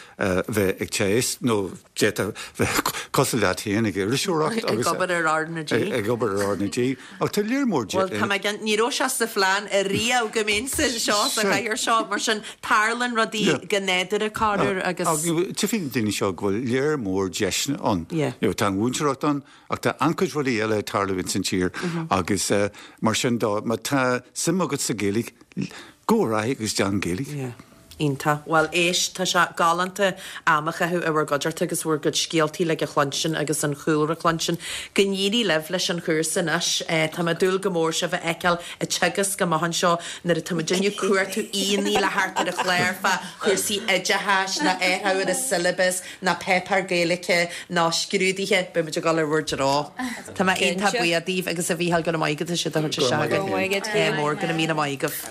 bheith ag teagasc nó d'fhéadfá bheith cosúil leat féin ag iriseoireacht agus. Ag obair ar R na G. Ag obair ar R na G. Ach tá léar mór de. Bhuel, tá mé ag, ní raibh sé sa phlean ariamh go mbeinnse anseo sa chathaoir seo, mar sin tarlaíonn rudaí go nádúrtha corruair agus. Tchífidh na daoine seo go bhfuil léar mór deiseanna ann. You know, tá an mhúinteoireacht ann ach tá an-chuid rudaí eile ag tarlú ins an tír agus mar sin de, má tá suim agat sa Ghaeilge, Gabh ar aghaidh agus déan Gaeilge. Yeah. Iontach. Bhuel, éist, tá sé galánta am a chaitheamh i bhur gcuideachta agus bhur gcuid scéaltaí uilig a chluinstin agus an chúlra a chluinstin. Go n-éirí libh leis an chúrsa anois. Tá mé ag dúil go mór sibh a fheiceáil ag teagasc amach anseo nuair atá muidinne ag cuartú aíonna le theacht ar an chlár fá chúrsaí oideachais ná athrú ar an syllabus ná páipéar Gaeilge ná scrúduithe, beidh muid ag dul ar bhur dtreo. Tá mé iontach buíoch daoibh agus a Mhícheáil go raibh maith agat as iad a thabhairt isteach againn. Go raibh maith agat. Mór, go raibh míle maith agaibh.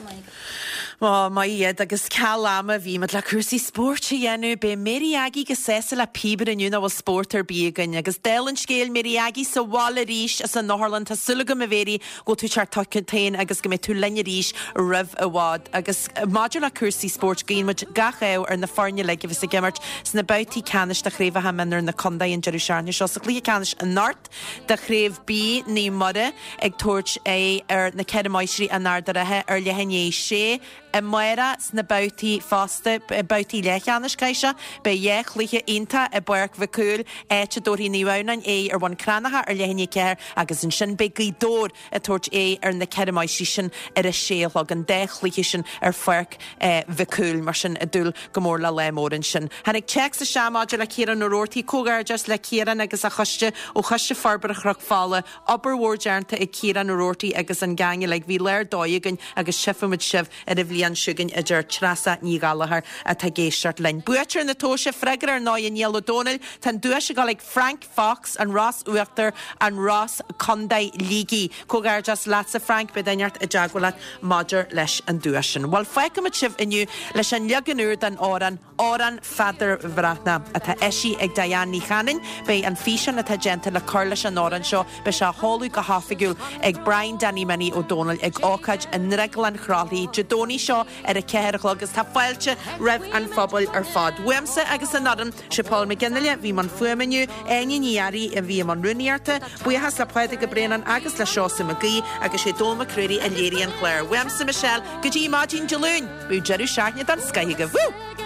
Ó, maith iad, agus ceal ama bhí muid le cúrsaí spóirt a dhéanamh. Beidh Mary Aggie go sásta le píobaire inniu nach bhfuil spórt ar bith againn. Agus dála an scéil, Mary Aggie sa bhaile arís as an otharlann. Tá súil agam, a Mhary, go bhfuil tú teacht chugat féin agus go mbeidh tú linn arís roimh i bhfad. Agus maidir le cúrsaí spóirt, guíonn muid gach ádh ar na foirne uilig a bheas ag imirt sna babhtaí ceannais de chraobhacha mionúir na contae an deireadh seachtaine seo. Sa chluiche ceannais anocht, de Chraobh B, Naomh Muire ag tabhairt aghaidh ar na Ceithre Máistrí in Ard a' Rátha ar leath i ndiaidh a sé. Amárach sna babhtaí fosta, babhtaí leathcheannais caithfidh sé, beidh dhá chluiche iontach i bPáirc Mhic Cumhaill, áit a dtabharfaidh Naomh Adhamhnáin aghaidh ar Bhun Cranncha ar leath i ndiaidh a ceathair agus ansin beidh Gaoth Dobhair ag tabhairt aghaidh ar na Ceithre Máistrí sin ar a sé a chlog, an dá chluiche sin ar Pháirc Mhic Cumhaill, mar sin ag dúil go mór le lá mór ansin. Tháinig téacs isteach maidir le Ciarán Ó Roarty, Comhghairdeas le Ciarán agus a choiste ó Choiste Forbartha Chnoc Fola. Obair mhór déanta ag Ciarán Ó Roarty agus an gang uilig. Bhí lá ar dóigh againn agus tchífimid sibh ar an bhliain chugainn, a deir Treasa Ní Ghallchóir atá ag éisteacht linn. Buaiteoir na tomhaise, freagra ar ndóigh Niall Ó Dónaill. Tá an duais ag dul ag Frank Fox, An Ros Uachtar, An Ros, Co. Shligigh. Comhghairdeas leatsa Frank, beidh duine inteacht i dteagmháil leat maidir leis an duais sin. Bhuel, fágfaimid sibh inniu leis an leagan úr den amhrán, Amhrán Pheadair Bhreathnaigh, atá eisithe ag Diane Ní Chanainn. Beidh an físeán atá déanta le cur leis an amhrán seo, beidh sé á sheoladh go hoifigiúil ag Brian Danny Minnie Ó Dónaill ag ócáid i nDrioglann Chroithlí Dé Domhnaigh seo ar a 4 a chlog agus tá fáilte roimh an phobal ar fad. Uaimse agus an fhoireann, sé Paul McGinley a bhí i mbun fuaime inniu, Áine Ní Fhearraigh a bhí i mbun rúnaíochta, buíochas le Pádraig Ó Braonáin agus le Seosamh Mac Aoidh agus sé Dónal Mac Ruairí a léirigh an clár. Uaimse Michelle, go dtí maidin Dé Luain, bíodh deireadh seachtaine den scoith agaibh. Woo!